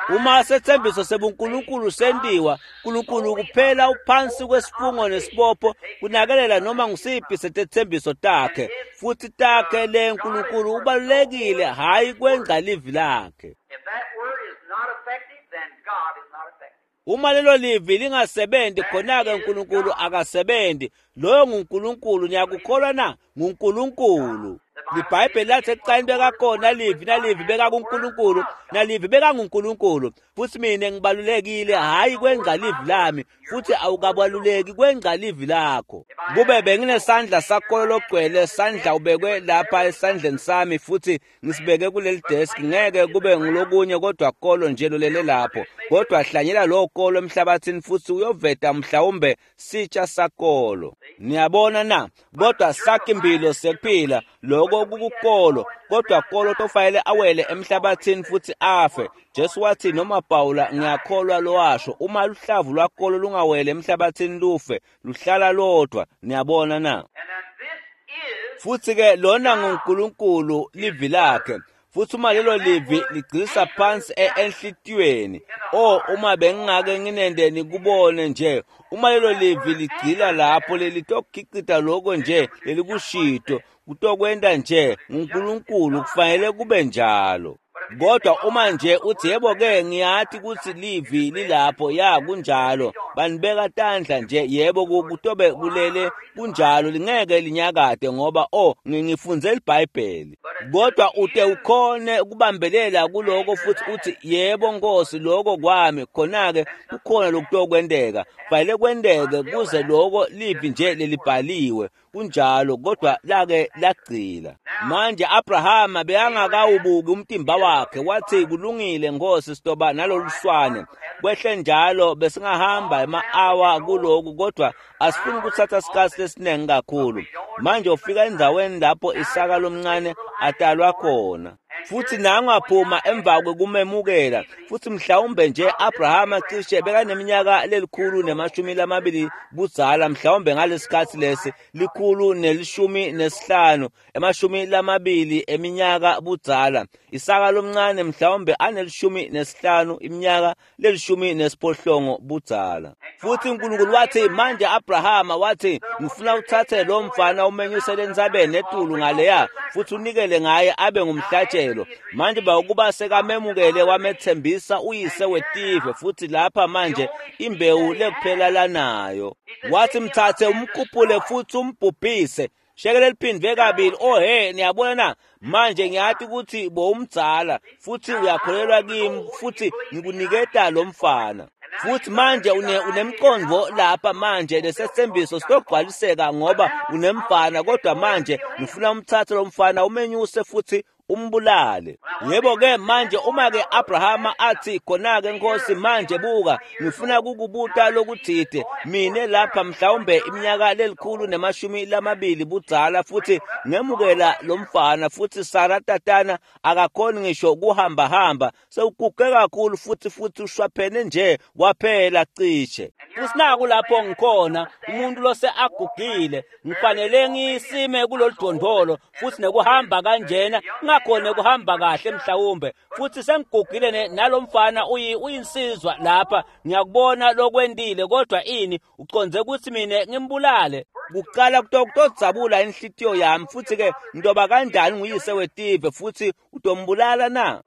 Uma sethembiso sebuNkulunkulu sentiwa, uNkulunkulu kuphela uphansi kwesifungo nesibopho kunakelela noma ngusiphi setethembiso takhe futhi takhe. Le nkulunkulu ubalulekile, hhayi kwengca livi lakhe. If that word is not effective, then God is not effective. Uma lelo livi lingasebenzi, khona-ke uNkulunkulu akasebenzi. Loyo nguNkulunkulu. Niyakukholwa na? NguNkulunkulu. Libhayibheli lathi ekucaleni bekakhona livi, nalivi bekakuNkulunkulu, nalivi bekanguNkulunkulu. Futhi mina ngibalulekile hhayi kwengca livi lami, futhi awukabaluleki kwengca livi lakho. Kube benginesandla sakolo logcwele sandla ubekwe lapha esandleni sami futhi ngisibeke kuleli desk, ngeke kube ngulokunye kodwa kolo nje lolele lapho. Kodwa hlanyela lowo kolo emhlabathini futhi uyoveta mhlawumbe sitsha sakolo. Niyabona na? Kodwa sakhimpilo sekuphila lokho kukukolo, kodwa kolo tofanele awele emhlabathini futhi afe. Jesu wathi, noma Pawula ngiyakholwa lowasho, uma luhlavu lwakolo lungawele emhlabathini lufe, luhlala lodwa. Niyabona na? And then this is Futhi ke lona nguNkulunkulu, livi lakhe, futhi uma lelo livi ligcilisa phansi enhlitiyweni, o, uma bengingake nginende nikubone nje, uma lelo livi ligcila lapho, lelitokhicita lokho nje lelikushito, kutokwenta nje. NguNkulunkulu, kufanele kube njalo. Kodwa uma nje uthi yebo-ke ngiyati kutsi livi lilapho, ya kunjalo, banibeka tandla nje, yebo kutobe kulele kunjalo, lingeke linyakade ngoba ngifundze iBhayibheli. Kodwa ute ukhone ukubambelela kuloko futhi uthi yebo Nkosi lokho kwami, khona-ke kukhona lokutokwenteka. Kufanele kwenteke kuze loko livi nje lelibhaliwe kunjalo, kodwa lake lagcila. Manje Abrahama bekangakawubuki umtimba wakhe, wathi kulungile Nkosi sitoba naloluswane. Kwehle njalo besingahamba ema-awa kuloku, kodwa asifuni kuthatha sikhatsi lesiningi kakhulu. Manje ufika endzaweni lapho Isaka lomncane atalwa khona. Futhi nangaphuma emva kwekumemukela, futhi mhlawumbe nje Abrahama cishe bekaneminyaka 120 budzala, mhlawumbe ngalesikhatsi lesi 115, 20 eminyaka budzala. Isaka lomncane mhlawumbe ane-15, iminyaka le-18 budzala. Futhi uNkulunkulu wathi manje Abrahama, wathi ngifuna uthathe lo mfana umenyusele entsabeni etulu ngaleya futhi unikele ngaye abe ngumhlatshelo. Manje bawukuba sekamemukele wamethembisa uyise wetive, futhi lapha manje imbewu lekuphela lanayo. Wathi mthathe umkhuphule futhi umbhubhise. Shekele liphindwe kabili. Oh he, niyabona na? Manje ngiyati ukuthi bowumdzala futhi uyakholelwa kimi futhi ngikuniketa lo mfana. Futhi manje unemqondo lapha manje lesethembiso sitogcwaliseka ngoba unemfana, kodwa manje ngifuna umthathe lo mfana umenyuse futhi umbulale. Yebo-ke manje uma-ke Abrahama athi khona-ke Nkosi manje buka ngifuna kukubuta lokuthide, mine lapha mhlawumbe iminyaka 120 budzala futhi ngemukela lo mfana, futhi Sara tatana akakhoni ngisho kuhamba hamba, sewuguge kakhulu futhi ushwaphene nje waphela cishe. Futhi naku lapho ngikhona umuntu lose agugile, ngifanele ngisime kulolu dondolo futhi nekuhamba kanjena ngakhona kuhamba kahle mhlawumbe, futhi sengigugile nalomfana uyinsizwa lapha, ngiyakubona lokwendile, kodwa ini uconze ukuthi mina ngimbulale? Kuqala kutodzabula inhlitiyo yami, futhi ke ngidoba kanjani nguyise wetive futhi utombulala na?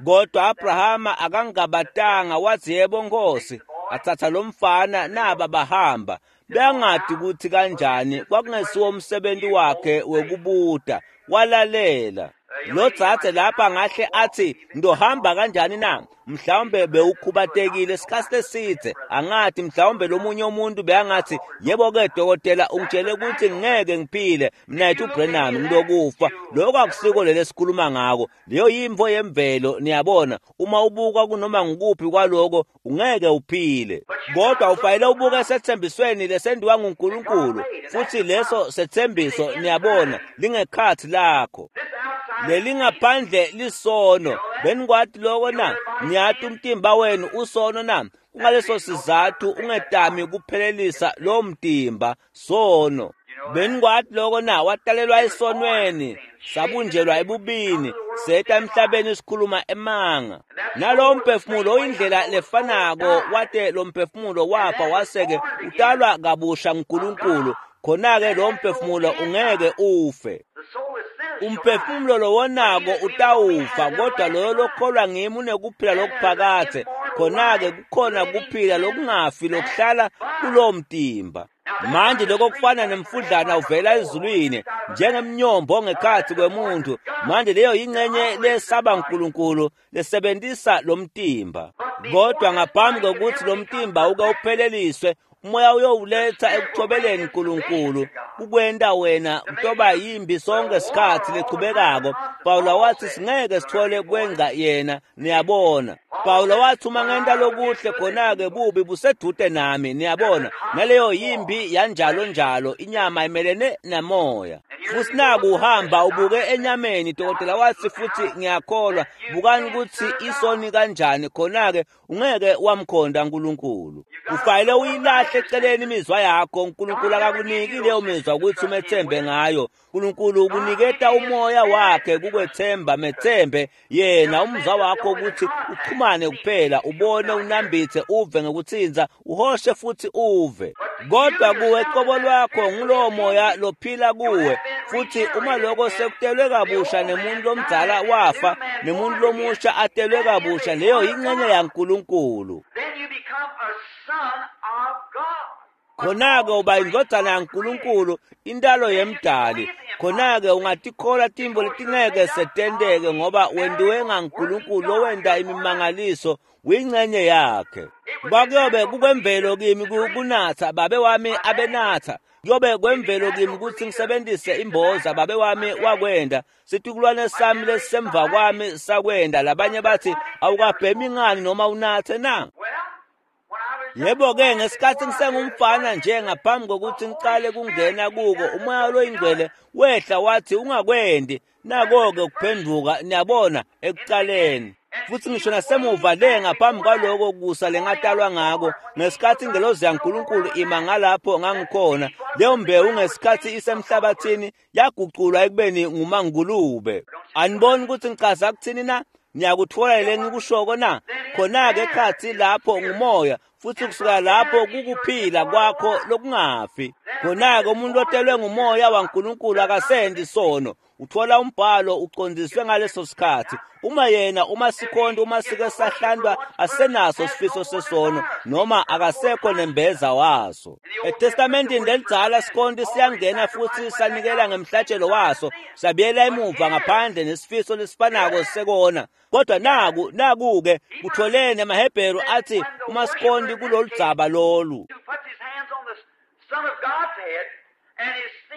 Kodwa Abrahama akangabatanga, wathi yebo Nkosi. Athatha lo mfana naba bahamba. Bengadi ukuthi kanjani, kwakungesiwo umsebenzi wakhe wekubuta, walalela. Lo dzadze lapha ngahle athi ndohamba kanjani na? Mhlawumbe bewukhubatekile isikhathi eside, angathi mhlawumbe lomunye umuntu beyangathi yebo-ke dokotela ungitshele ukuthi ngeke ngiphile mina yethu uBrenham ngilokufa. Lokho akusiko leli esikhuluma ngako, leyo yimvo yemvelo. Niyabona, uma ubuka kunoma ngukuphi kwaloko ungeke uphile, kodwa ufanele ubuke esethembisweni lesendiwa nguNkulunkulu, futhi leso sethembiso niyabona lingekhathi lakho. Lelingaphandle lisono. Benikwati loko na? Niyati umtimba wenu usono na? Kungaleso sizathu ungetami kuphelelisa lo mtimba sono. Benikwati loko na? Watalelwa esonweni, sabunjelwa ebubini, seta emhlabeni sikhuluma emanga. Nalowo mphefumulo oyindlela lefanako, wate lo mphefumulo wafa waseke utalwa kabusha nguNkulunkulu, khona-ke lo mphefumulo ungeke ufe. Umphefumulo lowonako utawufa, kodwa loyo lokholwa ngimi unekuphila lokuphakadze. Khona-ke kukhona kuphila lokungafi lokuhlala kulowo mtimba. Manje lokho kufana nemfudlana uvela ezulwini njengemnyombo ngekhathi kwemuntu. Manje leyo yingxenye lesaba uNkulunkulu lesebenzisa lo mtimba. Kodwa ngaphambi kokuthi lo mtimba uke upheleliswe, umoya uyowuletha ekuthobeleni uNkulunkulu, kukwenta wena utoba yimbi sonke sikhathi lechubekako. Pawula wathi singeke sithole kwenza yena, niyabona. Pawula wathi uma ngenta lokuhle khona-ke bubi busedude nami, niyabona. Naleyo yimbi yanjalo njalo, inyama imelene namoya. Futhi naku uhamba ubuke enyameni, dokotela wathi futhi ngiyakholwa, bukani ukuthi isoni kanjani, khona-ke ungeke wamkhonda uNkulunkulu. Ufanele uyilahle eceleni imizwa yakho. uNkulunkulu akakuniki leyo mizwa ukuthi umethembe ngayo. uNkulunkulu ukuniketa umoya wakhe kukwethemba, methembe yena umzwa wakho ukuthi uxhumane kuphela, ubone, unambithe, uve ngekuthinza, uhoshe futhi uve. Kodwa kuwe qobo lwakho ngulowo moya lophila kuwe, futhi uma lokho sekutelwe kabusha nemuntu lomdzala wafa nemuntu lomusha atelwe kabusha, leyo yingxenye yaNkulunkulu. Khona-ke uba indvodzana yaNkulunkulu, intalo yemdali. Khona-ke ungatikhola tintfo letingeke setenteke ngoba wentiwe ngaNkulunkulu lowenta imimangaliso, uyingxenye yakhe. Kwakuyobe kukwemvelo kimi kunatsa, babe wami abenatsa. Kuyobe kwemvelo kimi kutsi ngisebentise imboza, babe wami wakwenda. Situkulwane sami lesisemva kwami sakwenda. Labanye bathi awukabhemi ngani noma unatse na? Yebo-ke, ngesikhathi ngisengumfana nje ngaphambi kokuthi ngiqale kungena kuko, umoya loyingcwele wehla wathi ungakwendi. Nako-ke kuphenduka, niyabona, ekuqaleni. Futhi ngisho nasemuva le ngaphambi kwaloko kusa lengatalwa ngako, ngesikhathi ingelozi yaNkulunkulu ima ngalapho ngangikhona, leyo mbewu ngesikhathi isemhlabathini yaguculwa ekubeni ngumangulube. Aniboni ukuthi ngichaza kuthini na? Niyakutfola le ngikushoko na? Khona-ke ekhatsi lapho ngumoya, futhi kusuka lapho kukuphila kwakho lokungafi. Khona-ke umuntu otelwe ngumoya waNkulunkulu akasendi sono. Uthola umbhalo uqondiswe ngaleso sikhathi. Uma yena uma sikhonto uma sike sahlandwa asenaso sifiso sesono noma akasekho nembeza waso. ETestamentini lelidzala sikhonto siyangena futhi sanikela ngemhlatshelo waso, sabiyela emuva ngaphandle nesifiso lesifanako sekona. Kodwa naku-ke kutholene emaHebheru athi uma sikhonti kulolu dzaba lolu,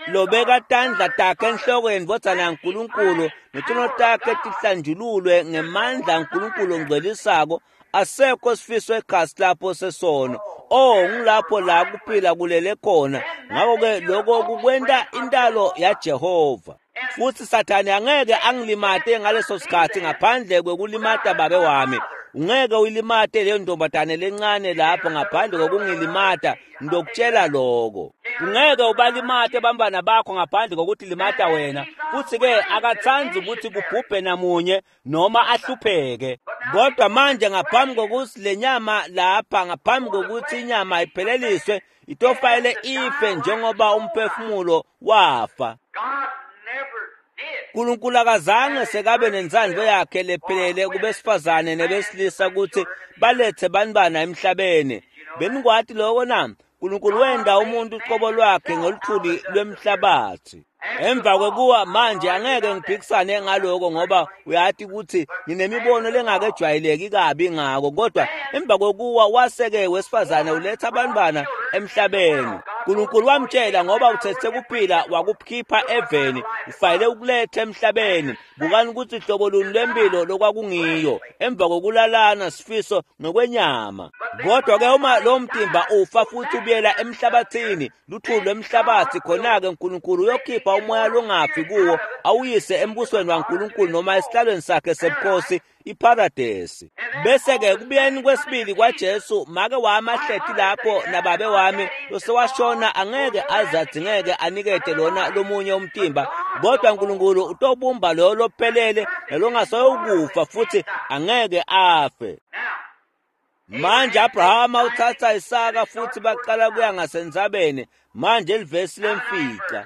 lobeka tandla takhe enhloko yendvodzana yaNkulunkulu netono takhe tihlanjululwe ngemandla aNkulunkulu ongcwelisako, asekho sifiso ekhasi lapho sesono. Oh, ngulapho la kuphila kulele khona. Ngakho-ke lokho kukwenta intalo yaJehova. Futhi Sathane angeke angilimate ngaleso sikhathi ngaphandle kwekulimata babe wami. Ungeke uyilimate leyo ntombazane lencane lapho ngaphandle kokungilimata, ngitokutshela lokho. Ungeke ubalimate bantwana bakho ngaphandle kokuthi limata wena. Futhi-ke akatsandzi ukuthi kubhubhe namunye noma ahlupheke. Kodwa manje ngaphambi kokuthi le nyama lapha, ngaphambi kokuthi inyama ipheleliswe, itofanele ife njengoba umphefumulo wafa. uNkulunkulu akazange sekabe nentsandvo yakhe lephelele kubesifazane nebesilisa ukuthi balethe bantwana emhlabeni. Benikwati lokho na? uNkulunkulu wenda umuntu uqobo lwakhe ngoluthuli lwemhlabathi. Emva kwekuwa manje angeke ngiphikisane ngaloko ngoba uyati ukuthi nginemibono lengakejwayeleki kabi ngako, kodwa emva kwekuwa waseke wesifazane uletha abantwana emhlabeni. uNkulunkulu wamtshela ngoba uthethe kuphila wakukhipha eveni, ufanele ukuletha emhlabeni. Bukani ukuthi hlobo luni lwempilo lokwakungiyo emva kokulalana sifiso ngokwenyama. Kodwa ke uma lo mtimba ufa futhi ubuyela emhlabathini, luthuli lwemhlabathi, khona-ke uNkulunkulu uyokhipha umoya longafi kuwo awuyise embusweni waNkulunkulu noma esihlalweni sakhe sebukhosi, iparadesi. Bese-ke kubuyeni kwesibili kwaJesu, make wami ahleti lapho nababe wami losewashona angeke aze adzingeke anikete lona lomunye umtimba, kodwa uNkulunkulu utobumba loyo lophelele nalongasoyukufa futhi angeke afe. Manje Abrahama uthatha Isaka futhi baqala kuya ngasentsabeni. Manje livesi lemfica.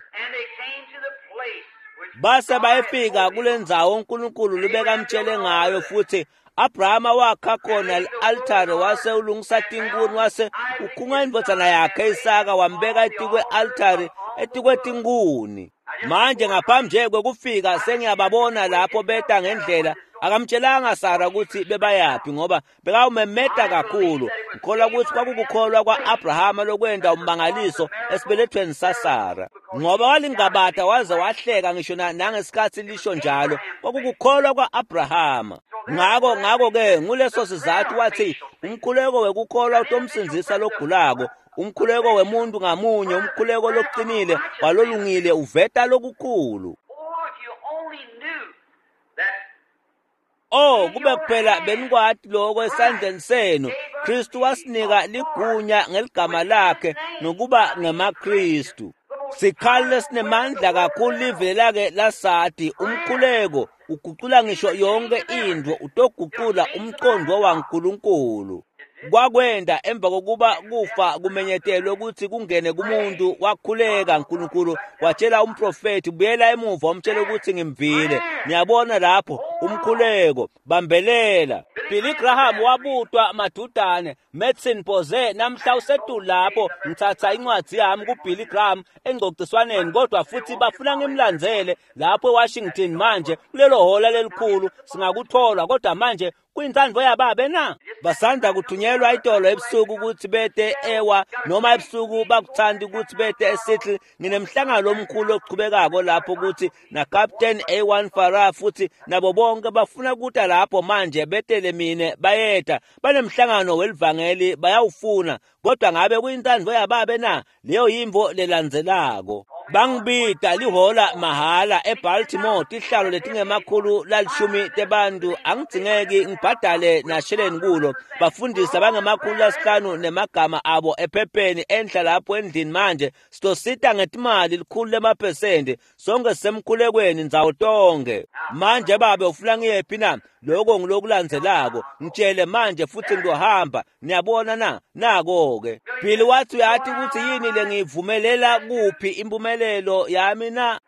Base bayefika kule ndzawo uNkulunkulu lubekamtshele ngayo, futhi Abrahama wakha khona i-altare wase ulungisa tinkuni, wase ukhunga indvodzana yakhe Isaka wambeka etikwe-altare etikwetinkuni. Manje ngaphambi nje kwekufika sengiyababona lapho beta ngendlela. Akamtshelanga Sara ukuthi bebayaphi ngoba bekawumemeta kakhulu. Ngikholwa ukuthi kwakukukholwa kwa-Abrahama lokwenta ummangaliso esibelethweni saSara, ngoba walingabata waze wahleka ngisho nangesikhathi lisho njalo. Kwakukukholwa kwa-Abrahama. Ngakho-ke nguleso sizathu wathi umkhuleko wekukholwa utomsindzisa logulako, umkhuleko wemuntu ngamunye, umkhuleko loqinile walolungile uveta lokukhulu. Oh, kube kuphela benikwati lokho esandleni senu. Kristu wasinika ligunya ngeligama lakhe nokuba ngemaKristu. Sikhali lesinemandla kakhulu live lake lasati umkhuleko ugucula ngisho yonke into, utogucula umqondo waNkulunkulu. Kwakwenda emva kokuba kufa kumenyetelwe ukuthi kungene kumuntu, wakhuleka uNkulunkulu watshela umprofethi, buyela emuva umtshele ukuthi ngimvile. Niyabona lapho umkhuleko, bambelela. Billy Graham wabutwa madudane, Madison Boze namhla usetulu lapho, ngithatha incwadi yami kuBilly Graham engcociswaneni, kodwa futhi bafuna ngimlandzele lapho eWashington manje kulelo hola lelikhulu, singakuthola kodwa manje kuyintsandvo yababe na? Basanda kuthunyelwa itolo ebusuku ukuthi bete ewa noma ebusuku bakuthanda ukuthi bete eSeattle. Nginemhlangano omkhulu ochubekako lapho ukuthi na Captain A1 Farah futhi nabo bonke bafuna kuta lapho manje betele mine bayeta banemhlangano welivangeli bayawufuna, kodwa ngabe kuyintsandvo yababe na? Leyo yimvo lelandzelako. Bangibita lihola mahala eBaltimore, tihlalo letingemakhulu lalishumi tebantu, angidzingeki ngibhadale nasheleni kulo. Bafundisi abangemakhulu 5 nemagama abo ephepheni enhla lapho endlini manje sitosita ngetimali 100%, sonke sisemkhulekweni ndzawo tonke. Manje babe ufuna ngiyephi na? Lokho ngilokulandzelako, ngitshele manje futhi ngizohamba. Niyabona na? Nako-ke Billy wathi uyathi ukuthi yini lengiyivumelela kuphi impumelelo yami na?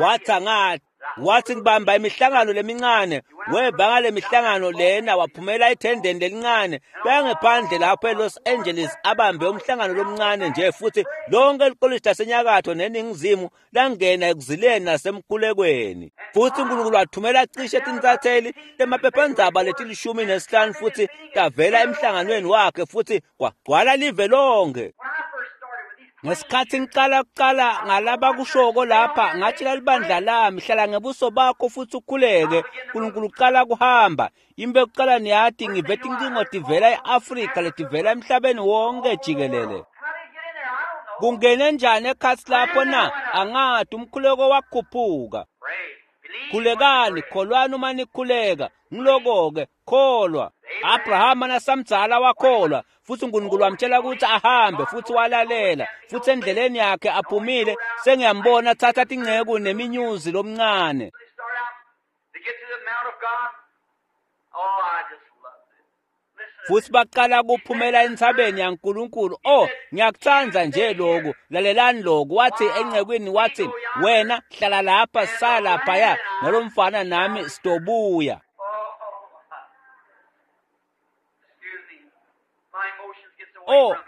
Wathi angathi, wathi ngibamba imihlangano lemincane, weba ngale mihlangano lena waphumela ethendeni lelincane, bengephandle lapho eLos Angeles abambe umhlangano lomncane nje, futhi lonke likolishi lasenyakatho neningizimu langena ekuzileni nasemkhulekweni. Futhi uNkulunkulu wathumela cishe tinsatheli temaphephandzaba leti-15 futhi tavela emhlanganweni wakhe futhi kwagcwala live lonke. Ngesikhathi ngiqala kuqala ngalabakushoko lapha, ngatshela libandla lami, hlala ngebuso bakho futhi ukhuleke, uNkulunkulu uqala kuhamba. Imbe kuqala niyathi ngive tincingo tivela eAfrika letivela emhlabeni wonke jikelele. Kungene njani ekhatsi lapho na? Angathi umkhuleko wakhuphuka. Khulekani, kholwani uma nikhuleka. Ngiloko-ke, kholwa. Abrahama nasamdzala wakholwa, futhi uNkulunkulu wamtshela ukuthi ahambe, futhi walalela. Futhi endleleni yakhe aphumile, sengiyambona thatha tinceku neminyuzi lomncane. Futhi baqala kuphumela entsabeni yaNkulunkulu. Oh, ngiyakuthanda nje lokhu. Lalelani lokhu. Wathi encekwini, wathi wena hlala lapha, sala laphaya nalomfana nami sitobuya.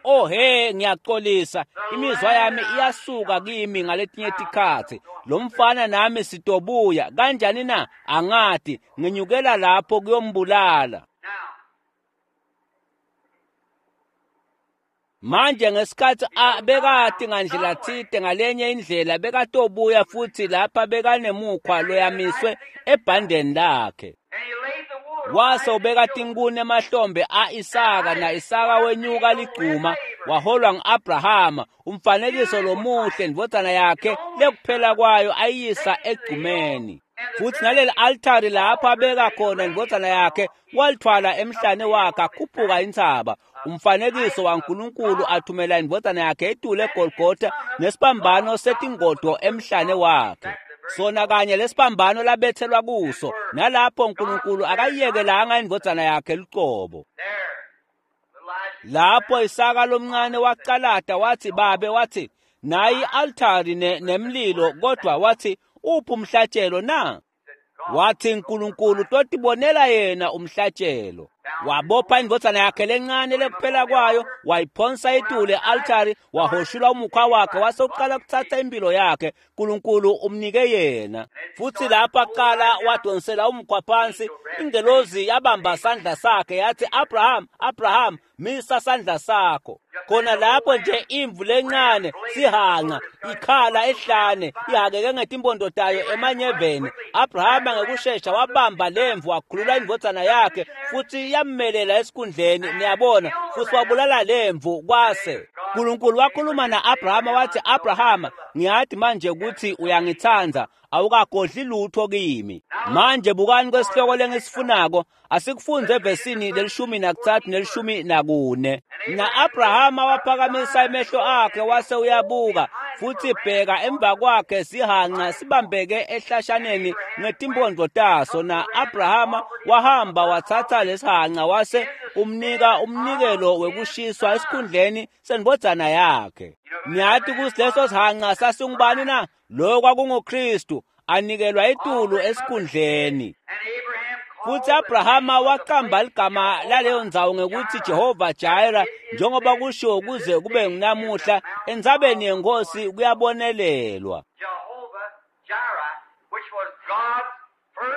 Oh he, ngiyaxolisa, imizwa yami iyasuka kimi ngaletinye tikhatsi. Lo mfana nami sitobuya kanjani na? Angathi nginyukela lapho kuyombulala. Manje ngesikhathi bekati ngandlela thite ngalenye indlela bekatobuya futhi lapha bekanemukhwa loyamiswe ebhandeni lakhe. Wase ubeka tinkuni emahlombe a-Isaka, na-Isaka wenyuka ligcuma waholwa ngu-Abrahama, umfanekiso lomuhle ndvodzana yakhe lekuphela kwayo ayisa egcumeni. Futhi naleli altari lapho abeka khona indvodzana yakhe walithwala emhlane wakhe akhuphuka intsaba. Umfanekiso waNkulunkulu athumela indvodzana yakhe etule eGolgotha nesibambano setingodo emhlane wakhe. Sona kanye lesibambano labethelwa kuso, nalapho uNkulunkulu akayiyekelanga indvodzana yakhe lucobo. Lapho Isaka lomncane wacalata wathi, babe, wathi nayi altari nemlilo, kodwa wathi uphi umhlatshelo na? Wathi uNkulunkulu totibonela yena umhlatshelo. Wabopha indvodzana yakhe lencane lekuphela kwayo, wayiphonsa etule altari, wahoshula umukhwa wakhe, wase uqala kuthatha impilo yakhe. uNkulunkulu umnike yena. Futhi lapho aqala wadonsela umukhwa phansi, ingelozi yabamba sandla sakhe yathi, Abraham, Abraham, misa sandla sakho. Khona lapho nje imvu lencane sihanqa ikhala ehlane ihakeke ngetimpondo tayo emanyeveni. Abrahama ngekushesha wabamba lemvu wakhulula indvodzana yakhe futhi yammelela esikhundleni, niyabona, futhi wabulala lemvu. Kwase uNkulunkulu wakhuluma na-Abrahama wathi, Abrahama, ngiyathi manje ukuthi uyangithanda, awukagodli lutho kimi. Manje bukani kwesihloko lengisifunako, asikufunze evesini le-13 ne-14. Na-Abrahama waphakamisa emehlo akhe wase uyabuka, Futsi bheka emva kwakhe sihanca sibambeke ehlashaneni ngetimphondvo taso, na-Abrahama wahamba watsatsa lesihanca wase umnika umnikelo wekushiswa esikhundleni sendvodzana yakhe. Niyati kutsi leso sihanca sasingubani na? Lo kwakunguKristu anikelwa etulu esikhundleni. Futsi Abrahama waqamba ligama laleyo ndzawo ngekutsi Jehova Jireh, njengoba kushiwo kuze kube ngunamuhla entsabeni yeNkhosi kuyabonelelwa.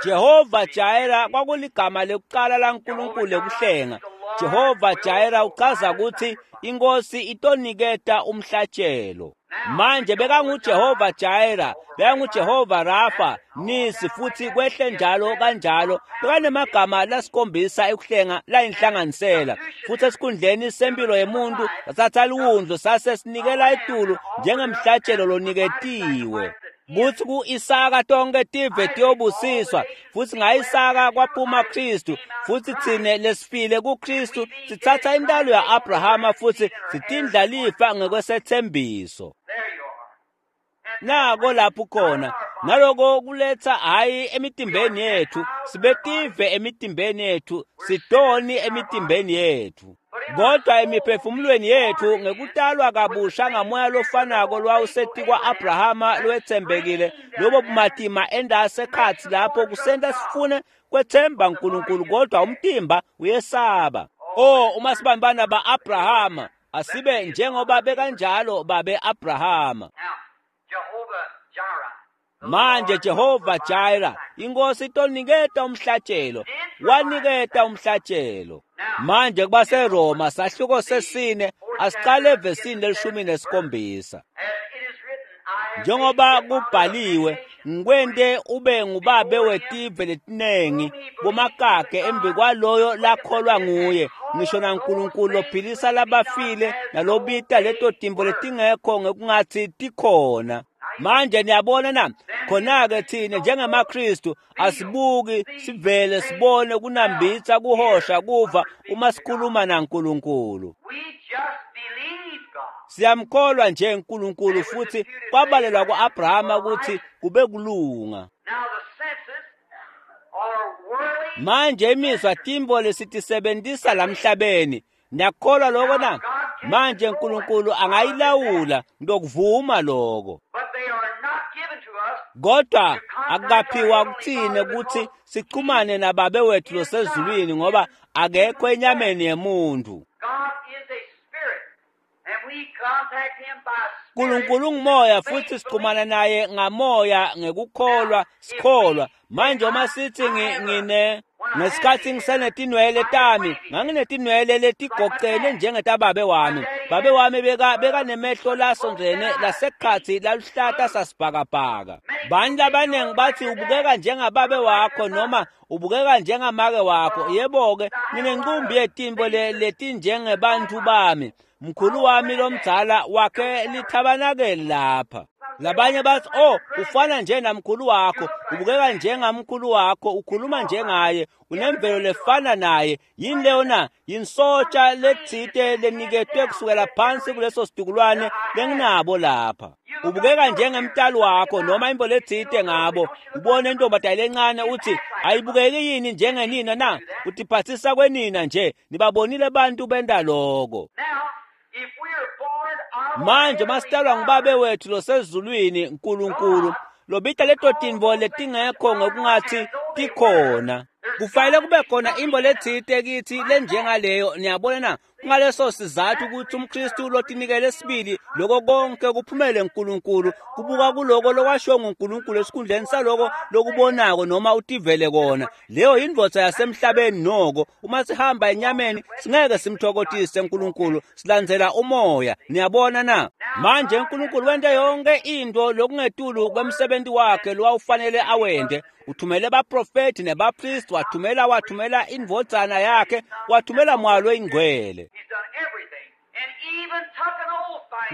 Jehova Jireh kwakuligama lekucala laNkulunkulu lekuhlenga. Jehova Jireh uchaza ukuthi inkosi itoniketa umhlatshelo. Manje bekanguJehova Jireh, bekanguJehova Rafa, Nisi, futhi kwehle njalo kanjalo. Bekanemagama lasikhombisa ekuhlenga layinhlanganisela. Futhi esikhundleni sempilo yemuntu sathatha liwundlu sase sinikela etulu njengemhlatshelo loniketiwe. Kuthi ku-Isaka tonke tive tiyobusiswa, futhi nga-Isaka kwaphuma Kristu, futhi thine lesifile kuKristu sithatha intalo ya-Abrahama futhi sitindlalifa ngekwesethembiso. Nako lapho khona, naloko kuletha hhayi emitimbeni yethu, sibetive emitimbeni yethu, sidoni emitimbeni yethu. Kodwa emiphefumulweni yethu ngekutalwa kabusha ngamoya lofanako lwawusetikwa Abrahama lowetsembekile, lobo bumatima endasekhatsi lapho kusenta sifune kwetsemba uNkulunkulu, kodwa umtimba uyesaba. Oh, uma sibambana ba-Abrahama, asibe njengoba bekanjalo babe Abrahama. Manje Jehova Jireh, inkosi itoniketa umhlatshelo, waniketa umhlatshelo. Manje kubaseRoma sahluko sesine, asicale evesini leshumi nesikhombisa. Njengoba kubhaliwe, ngikwente ube ngubabe wetive letinengi, bomakakhe embi kwaloyo lakholwa nguye, ngisho naNkulunkulu lophilisa labafile nalobita leto timbo letingekho ngekungatsi tikhona. Manje niyabona na, khona-ke thina njengemaKristu asibuki sivele sibone kunambitsa kuhosha kuva uma sikhuluma naNkulunkulu. Siyamkholwa nje uNkulunkulu, futhi kwabalelwa ku-Abrahama ukuthi kube kulunga. Manje imizwa timbo lesitisebentisa lamhlabeni, niyakholwa lokho na? Manje uNkulunkulu angayilawula, ngiyokuvuma lokho. Kodwa akukaphiwa kuthina ukuthi sichumane nababe wethu losezulwini, ngoba akekho enyameni yemuntu. uNkulunkulu ungumoya, futhi sichumana naye ngamoya ngekukholwa, sikholwa. Manje uma sithi ngine ngesikhathi ngisenetinwele tami, nganginetinwele letigocene njengetababe wami. Babe wami bekanemehlo lasondzene lasekhatsi laluhlata sasibhakabhaka. Bani labaningi bathi ubukeka njengababe wakho noma ubukeka njengamake wakho. Yebo-ke, nginenqumbi yetimbo letinjengebantfu bami. Mkhulu wami lomdzala wakhe lithabanakeli lapha. Labanye bathi, oh, ufana nje namkhulu wakho, ubukeka njengamkhulu wakho, ukhuluma njengaye, unemvelo lefana naye. Yini leyo na? Yinsotsha letsite leniketwe kusukela phansi kuleso situkulwane lenginabo lapha. Ubukeka njengemtali wakho noma imbo letsite ngabo. Ubone intombazane lencane uthi ayibukeki yini njengenina na? Utiphathisa kwenina nje. Nibabonile bantu benta lokho. Manje masitalwa ngubabe wethu losezulwini uNkulunkulu, lobita leto tintfo letingekho ngokungathi tikhona. Kufanele kube khona imbo letsite kithi lenjengaleyo, niyabona na? Kungaleso sizathu ukuthi umKristu lotinikele sibili lokho konke kuphumele uNkulunkulu, kubuka kuloko lokwashiwo nguNkulunkulu esikhundleni saloko lokubonako noma utivele kona. Leyo yindvodza yasemhlabeni noko. Uma sihamba enyameni singeke simthokotise uNkulunkulu, silandzela umoya, niyabona na? Manje uNkulunkulu wente yonke into lokungetulu kwemsebenzi wakhe lowawufanele awente. Uthumele baprofethi nebapristi, wathumela indvodzana yakhe, wathumela moya loyingcwele.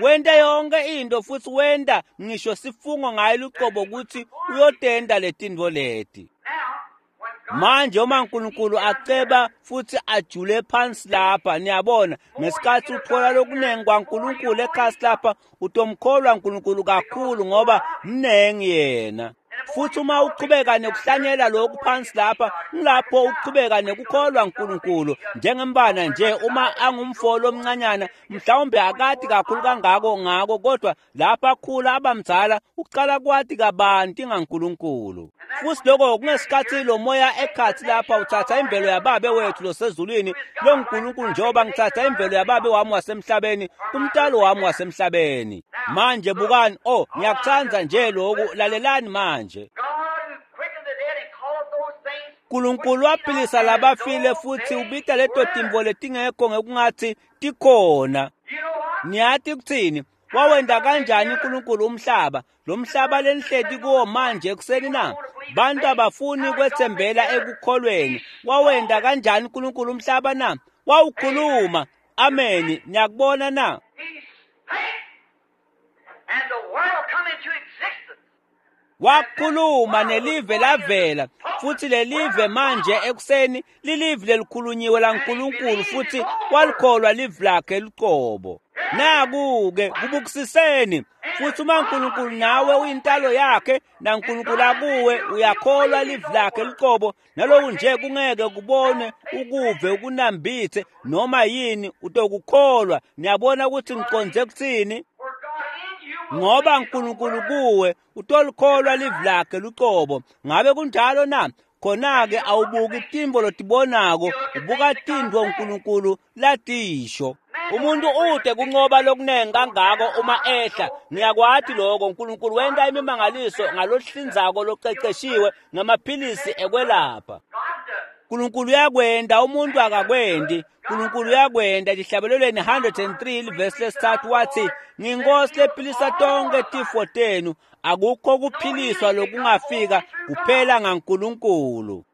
Wente yonke into, futhi wenta ngisho sifungo ngaye luqobo ukuthi uyotenta letintfo leti. Manje uma uNkulunkulu aceba futhi ajule phansi lapha, niyabona, ngesikhathi uthola lokunengi kwaNkulunkulu ekhasi lapha, utomkholwa uNkulunkulu kakhulu ngoba mnengi yena. Futhi uma uqhubeka nekuhlanyela lokhu phansi lapha, ngilapho uqhubeka nekukholwa uNkulunkulu njengembana nje. Uma angumfolo omncanyana, mhlawumbe akati kakhulu kangako ngako, kodwa lapha akhula abamdzala uqala kwati kabanti ngaNkulunkulu. Futhi lokho kungesikhathi lo moya ekhathi lapha uthatha imvelo yababe wethu losezulwini lo nkulunkulu, njengoba ngithatha imvelo yababe wami wasemhlabeni kumntalo wami wasemhlabeni. Manje bukani, oh, ngiyakuthanda nje lokhu, lalelani manje. Nkulunkulu waphilisa labafile futhi ubita leto timvo letingekho ngekungathi tikhona. Niyati kuthini? Wawenda kanjani uNkulunkulu umhlaba? Lo mhlaba lenihleti kuwo manje ekuseni na? Bantu abafuni kwethembela ekukholweni. Wawenda kanjani uNkulunkulu umhlaba na? Wawukhuluma. Ameni. Niyakubona na? Wakhuluma nelive lavela, futhi lelive manje ekuseni lilive lelikhulunyiwe laNkulunkulu, futhi walikholwa live lakhe luqobo. Naku-ke kubukusiseni. Futhi uma uNkulunkulu nawe uyintalo yakhe naNkulunkulu akuwe, uyakholwa live lakhe luqobo, naloku nje kungeke kubone, ukuve, ukunambithe noma yini, utokukholwa. Niyabona ukuthi ngiqonde kuthini? Ngoba uNkulunkulu kuwe utolikholwa live lakhe luqobo. Ngabe kunjalo na? Khona-ke awubuki timbo lotibonako, ubuka tintfo uNkulunkulu latisho. Umuntu ude kunqoba lokunengi kangako uma ehla. Ngiyakwati lokho. uNkulunkulu wenta imimangaliso ngalohlinzako loqeqeshiwe ngamaphilisi ekwelapha. uNkulunkulu uyakwenda, umuntu akakwendi. uNkulunkulu uyakwenda. Lihlabelelweni 103 livesi lesithathu wathi, "Nginkosi lephilisa tonke tifo tenu." Akukho kuphiliswa lokungafika kuphela ngaNkulunkulu.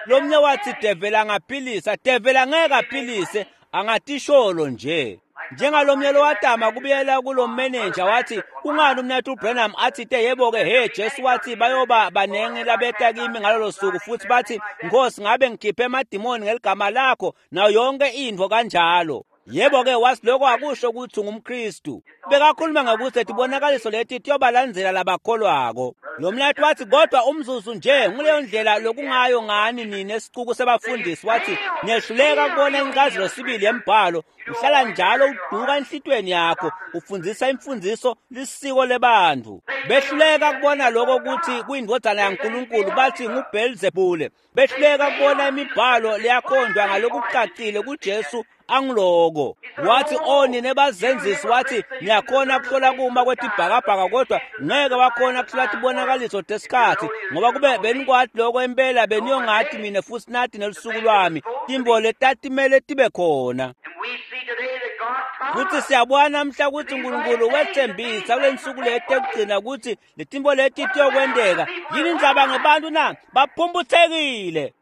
Lomnye wathi devela angaphilisa, devela ngeke aphilise, angatisholo nje. Njengalomnye lowatama kubuyela kulo manager wathi, kungani umnethu uBranham athi te yebo-ke, he Jesu wathi bayoba banengi labeta kimi ngalolo suku futhi bathi, Nkosi ngabe ngikhiphe emadimoni ngeligama lakho nayo yonke intfo kanjalo. Yebo-ke wathi lokho akusho ukuthi ungumKristu. Bekakhuluma ngokuthi tibonakaliso leti tiyobalandzela labakholwako. Lo mlathi wathi kodwa umzuzu nje nguleyo ndlela lokungayo ngani nina esicuku sebafundisi, wathi niyehluleka kubona incazelo sibili yembhalo, uhlala njalo uduka enhlitweni yakho, ufundisa imfundiso lisiko lebantu. Behluleka kubona lokho ukuthi kuyindvodzana yaNkulunkulu, bathi nguBhelzebule. Behluleka kubona imibhalo leyakhonjwa ngalokucacile kuJesu angiloko. Wathi oh nina bazenzisi, wathi niyakhona kuhlola kuma kwetibhakabhaka kodwa ngeke wakhona kuhlola tibonakaliso tesikhathi, ngoba kube benikwati lokho impela beniyongathi mina futhi nathi nelusuku lwami timbo letatimele tibe khona. Futhi siyabona namhla ukuthi uNkulunkulu wethembisa kule nsuku leti ekugcina ukuthi letimbo leti tiyokwenteka. Yini indzaba ngebantu na? Baphumputhekile.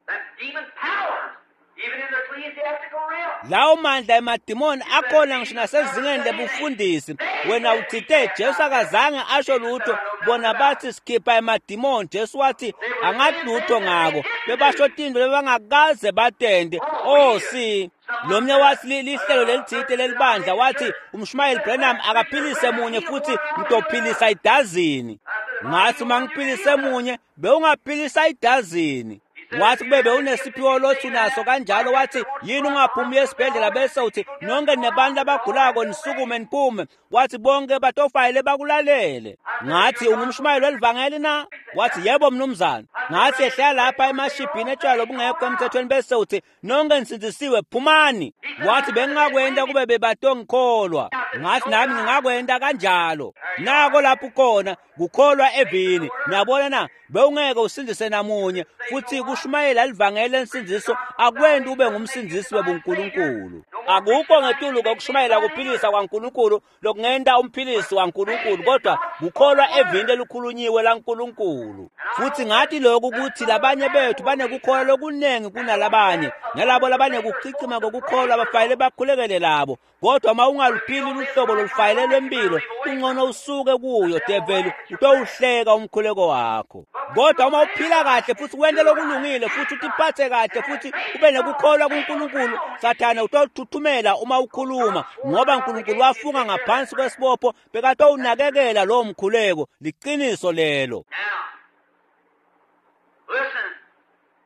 Lawo mandla emadimoni akhona ngisho nasezingeni lebufundisi. Wena uthite Jesu akazange asho lutho, bona bathi sikhipha emadimoni. Jesu wathi angathi lutho ngako, bebasho tintfo lebangakaze batente. Oh si lomnye wathi lihlelo lelithite lelibandla, wathi umshumayeli Branham akaphilise munye futhi ngitophilisa idazini. Ngathi uma ngiphilise munye bewungaphilisa idazini. Wathi kube bewunesiphiwo lothi unaso kanjalo, wathi yini ungaphumi esibhedlela bese uthi nonke nebantu abagulako nisukume niphume. Wathi bonke batofayele bakulalele. Ngathi ungumshumayeli welivangeli na? Wathi yebo mnumzane. Ngathi ehlala lapha emashibhini etshwala obungekho emthethweni bese uthi nonke nisindisiwe phumani. Wathi bengingakwenta kube bebatongikholwa. Ngathi nami ngingakwenta kanjalo. Nako lapho khona kukholwa evini. Niyabona na? Bewungeke usindise namunye, futhi kushumayela livangeli lensindiso akwenti ube ngumsindisi webuNkulunkulu. Akukho ngetulu kokushumayela kuphilisa kwaNkulunkulu lokungenta umphilisi waNkulunkulu, kodwa kukholwa evini lelikhulunyiwe laNkulunkulu. Futhi ngathi lokho Naloku kuthi labanye bethu banekukholwa lokunengi kunalabanye, nalabo labanekuchichima kokukholwa bafanele bakhulekele labo. Kodwa uma ungaluphili luhlobo lolufanele lwempilo, kungcono usuke kuyo develi, utowuhleka umkhuleko wakho. Kodwa uma uphila kahle futhi wente lokulungile futhi utiphathe kahle futhi ube nekukholwa kuNkulunkulu, Sathane utothuthumela uma ukhuluma, ngoba uNkulunkulu wafunga ngaphansi kwesibopho bekatowunakekela lowo mkhuleko. Liqiniso lelo.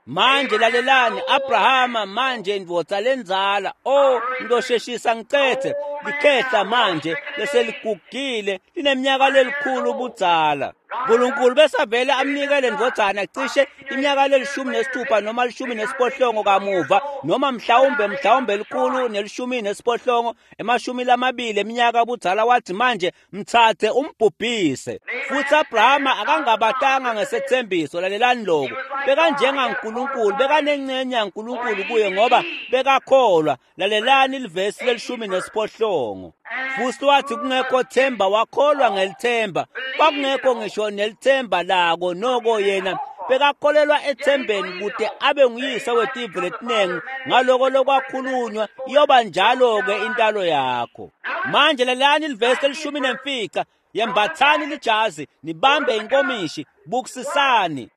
Manje lalelani, Abrahama manje ndvodza lenzala, oh ngizosheshisa ngicethe, likhehla manje leseligugile lineminyaka lelikhulu budzala. uNkulunkulu besavele amnikele ndvodzana cishe iminyaka le-16 noma 18 kamuva, noma mhlawumbe 118, 20 eminyaka budzala. Wathi manje mthathe umbhubhise. Futhi Abrahama akangabatanga ngesethembiso. Lalelani lokho, bekanjengaNkulunkulu, bekanencenye yaNkulunkulu kuye ngoba bekakholwa. Lalelani livesi le-18. Futhi wathi kungekho themba, wakholwa ngelithemba. Kwakungekho ngisho nelithemba lako, noko yena bekakholelwa ethembeni kude abe nguyise wetive letinengi. Ngaloko lokwakhulunywa, iyoba njalo-ke intalo yakho. Manje lalelani livesi le-15. Yembathani lijazi, nibambe inkomishi, bukisisani.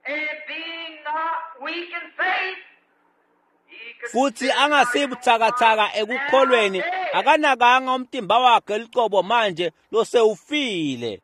Futhi angasibuthakathaka ekukholweni, akanakanga umtimba wakhe licobo manje losewufile.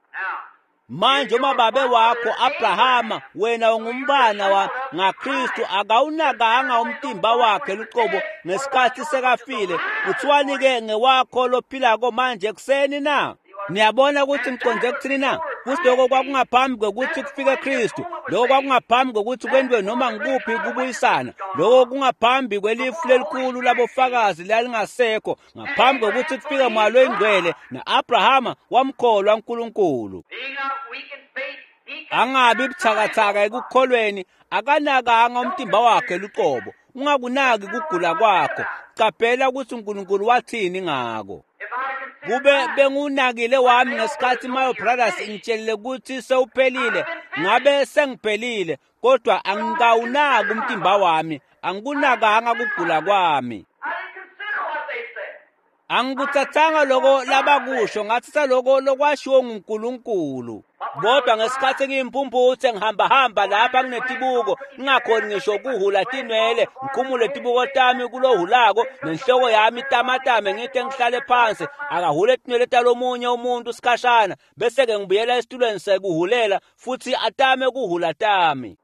Manje uma babe wakho Abrahama, wena ungumbana wa ngaKristu, akawunakanga umtimba wakhe lucobo ngesikhathi sekafile, kuthiwani-ke ngewakho lophilako manje ekuseni na? Niyabona ukuthi ngiconze kuthini na? Futhi lokho kwakungaphambi kwekuthi kufike Kristu, lokho kwakungaphambi kwekuthi kwentiwe noma ngikuphi kubuyisana, lokho kungaphambi kwelifu lelikhulu labofakazi lalingasekho, ngaphambi kwekuthi kufike Moya loyiNgcwele, na-Abrahama wamkholwa uNkulunkulu. Angabi buthakathaka ekukholweni, akanakanga umtimba wakhe luqobo. Ungakunaki kugula kwakho, qaphela ukuthi uNkulunkulu wathini ngako. Kube bengunakile wami ngesikhathi Mayo Brothers ingitshelile ukuthi sewuphelile, ngabe sengiphelile, kodwa angikawunaki umtimba wami, angikunakanga kugula kwami. Angikuthathanga loko labakusho, ngathatha loko lokwashiwo nguNkulunkulu. Kodwa ngesikhathi ngiyimpumputhe ngihambahamba lapha nginetibuko, ngingakhoni ngisho kuhula tinwele, ngikhumule tibuko tami kulohulako, nenhloko yami itamatame, ngite ngihlale phansi, akahule tinwele talomunye umuntu sikhashana, bese-ke ngibuyela esitulweni sekuhulela futhi atame kuhula tami.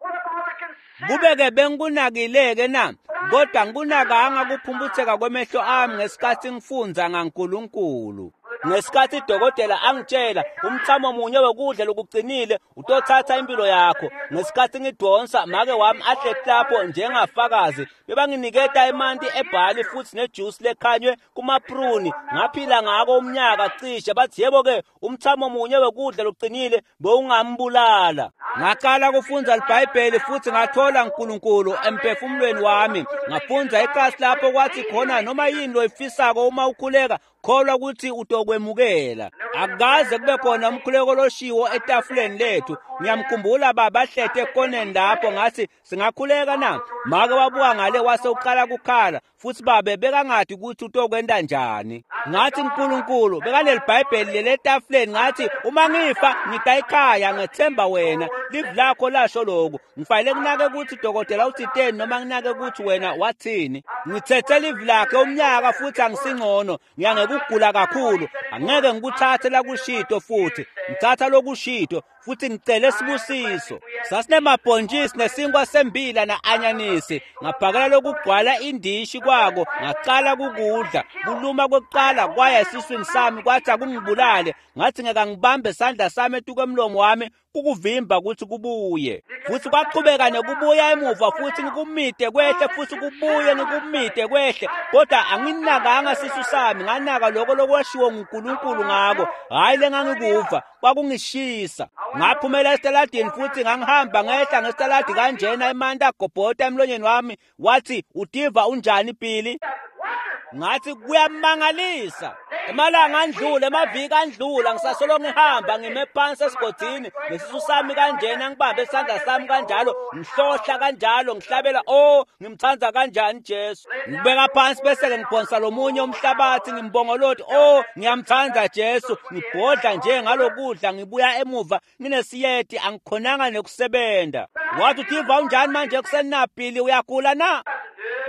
Kube-ke bengikunakile-ke na? Kodwa ngikunakanga kuphumputheka kwemehlo ami ngesikhathi ngifundza ngaNkulunkulu. Ngesikhathi idokotela angitshela umthamo munye wokudla lokuqinile utothatha impilo yakho, ngesikhathi ngidonsa make wami ahleti lapho njengafakazi, bebanginiketa emanti ebhali futhi nejuice lekhanywe kumapruni, ngaphila ngako umnyaka cishe. Bathi yebo-ke umthamo munye wokudla lokuqinile bewungambulala. Ngaqala kufundza iBhayibheli futhi ngathola uNkulunkulu emphefumulweni wami. Ngafundza iklasi lapho kwathi khona noma yini loyifisako uma ukhuleka, kholwa ukuthi utokwemukela. Akukaze kube khona umkhuleko loshiwo etafuleni lethu. Ngiyamkhumbula baba ahlete ekoneni lapho, ngathi singakhuleka na? Make wabuka ngale wase uqala kukhala, futhi babe bekangadi ukuthi utokwenta njani. Ngathi uNkulunkulu bekanelibhayibheli lele etafuleni, ngathi uma ngifa ngita ekhaya, ngethemba wena, livi lakho lasho lokhu. Ngifanele kunake ukuthi dokotela uthiteni noma nginake ukuthi wena wathini. Ngithethe livi lakhe umnyaka futhi angisingcono, ngiyangekugula kakhulu, angeke ngikuthathe lakushito futhi, ngithatha lokushito futhi ngicele sibusiso. Sasinemabhontshisi nesinkwa sembila na-anyanisi, ngaphakela lokugcwala indishi kwako, ngaqala kukudla. Kuluma kwekuqala kwaya esiswini sami, kwathi akungibulale. Ngathi ngeke ngibambe isandla sami etuke emlomo wami kukuvimba ukuthi kubuye. Futhi kwaqhubeka nekubuya emuva, futhi ngikumide kwehle, futhi kubuye ngikumide kwehle, kodwa anginakanga sisu sami, nganaka lokho lokwashiwo nguNkulunkulu ngako, hhayi lengangikuva, kwakungishisa. Ngaphumela esitaladini futhi ngangihamba ngehla ngesitaladi kanjena, emanti agobhota emlonyeni wami. Wathi utiva unjani Billy? Ngathi kuyamangalisa. Emalanga andlula, emaviki andlula, ngisasolo ngihamba ngime phansi esigodini nesisu sami kanjena, ngibambe isandla sami kanjalo, ngihlohla kanjalo, ngihlabela, oh ngimthanda kanjani Jesu. Ngibeka phansi bese-ke ngiphonsa lomunye umhlabathi, ngimbongoloti, oh ngiyamthanda Jesu. Ngibhodla nje ngalokudla, ngibuya emuva nginesiyeti, angikhonanga nekusebenza. Wathi utiva unjani manje ekuseni na Billy, uyagula na?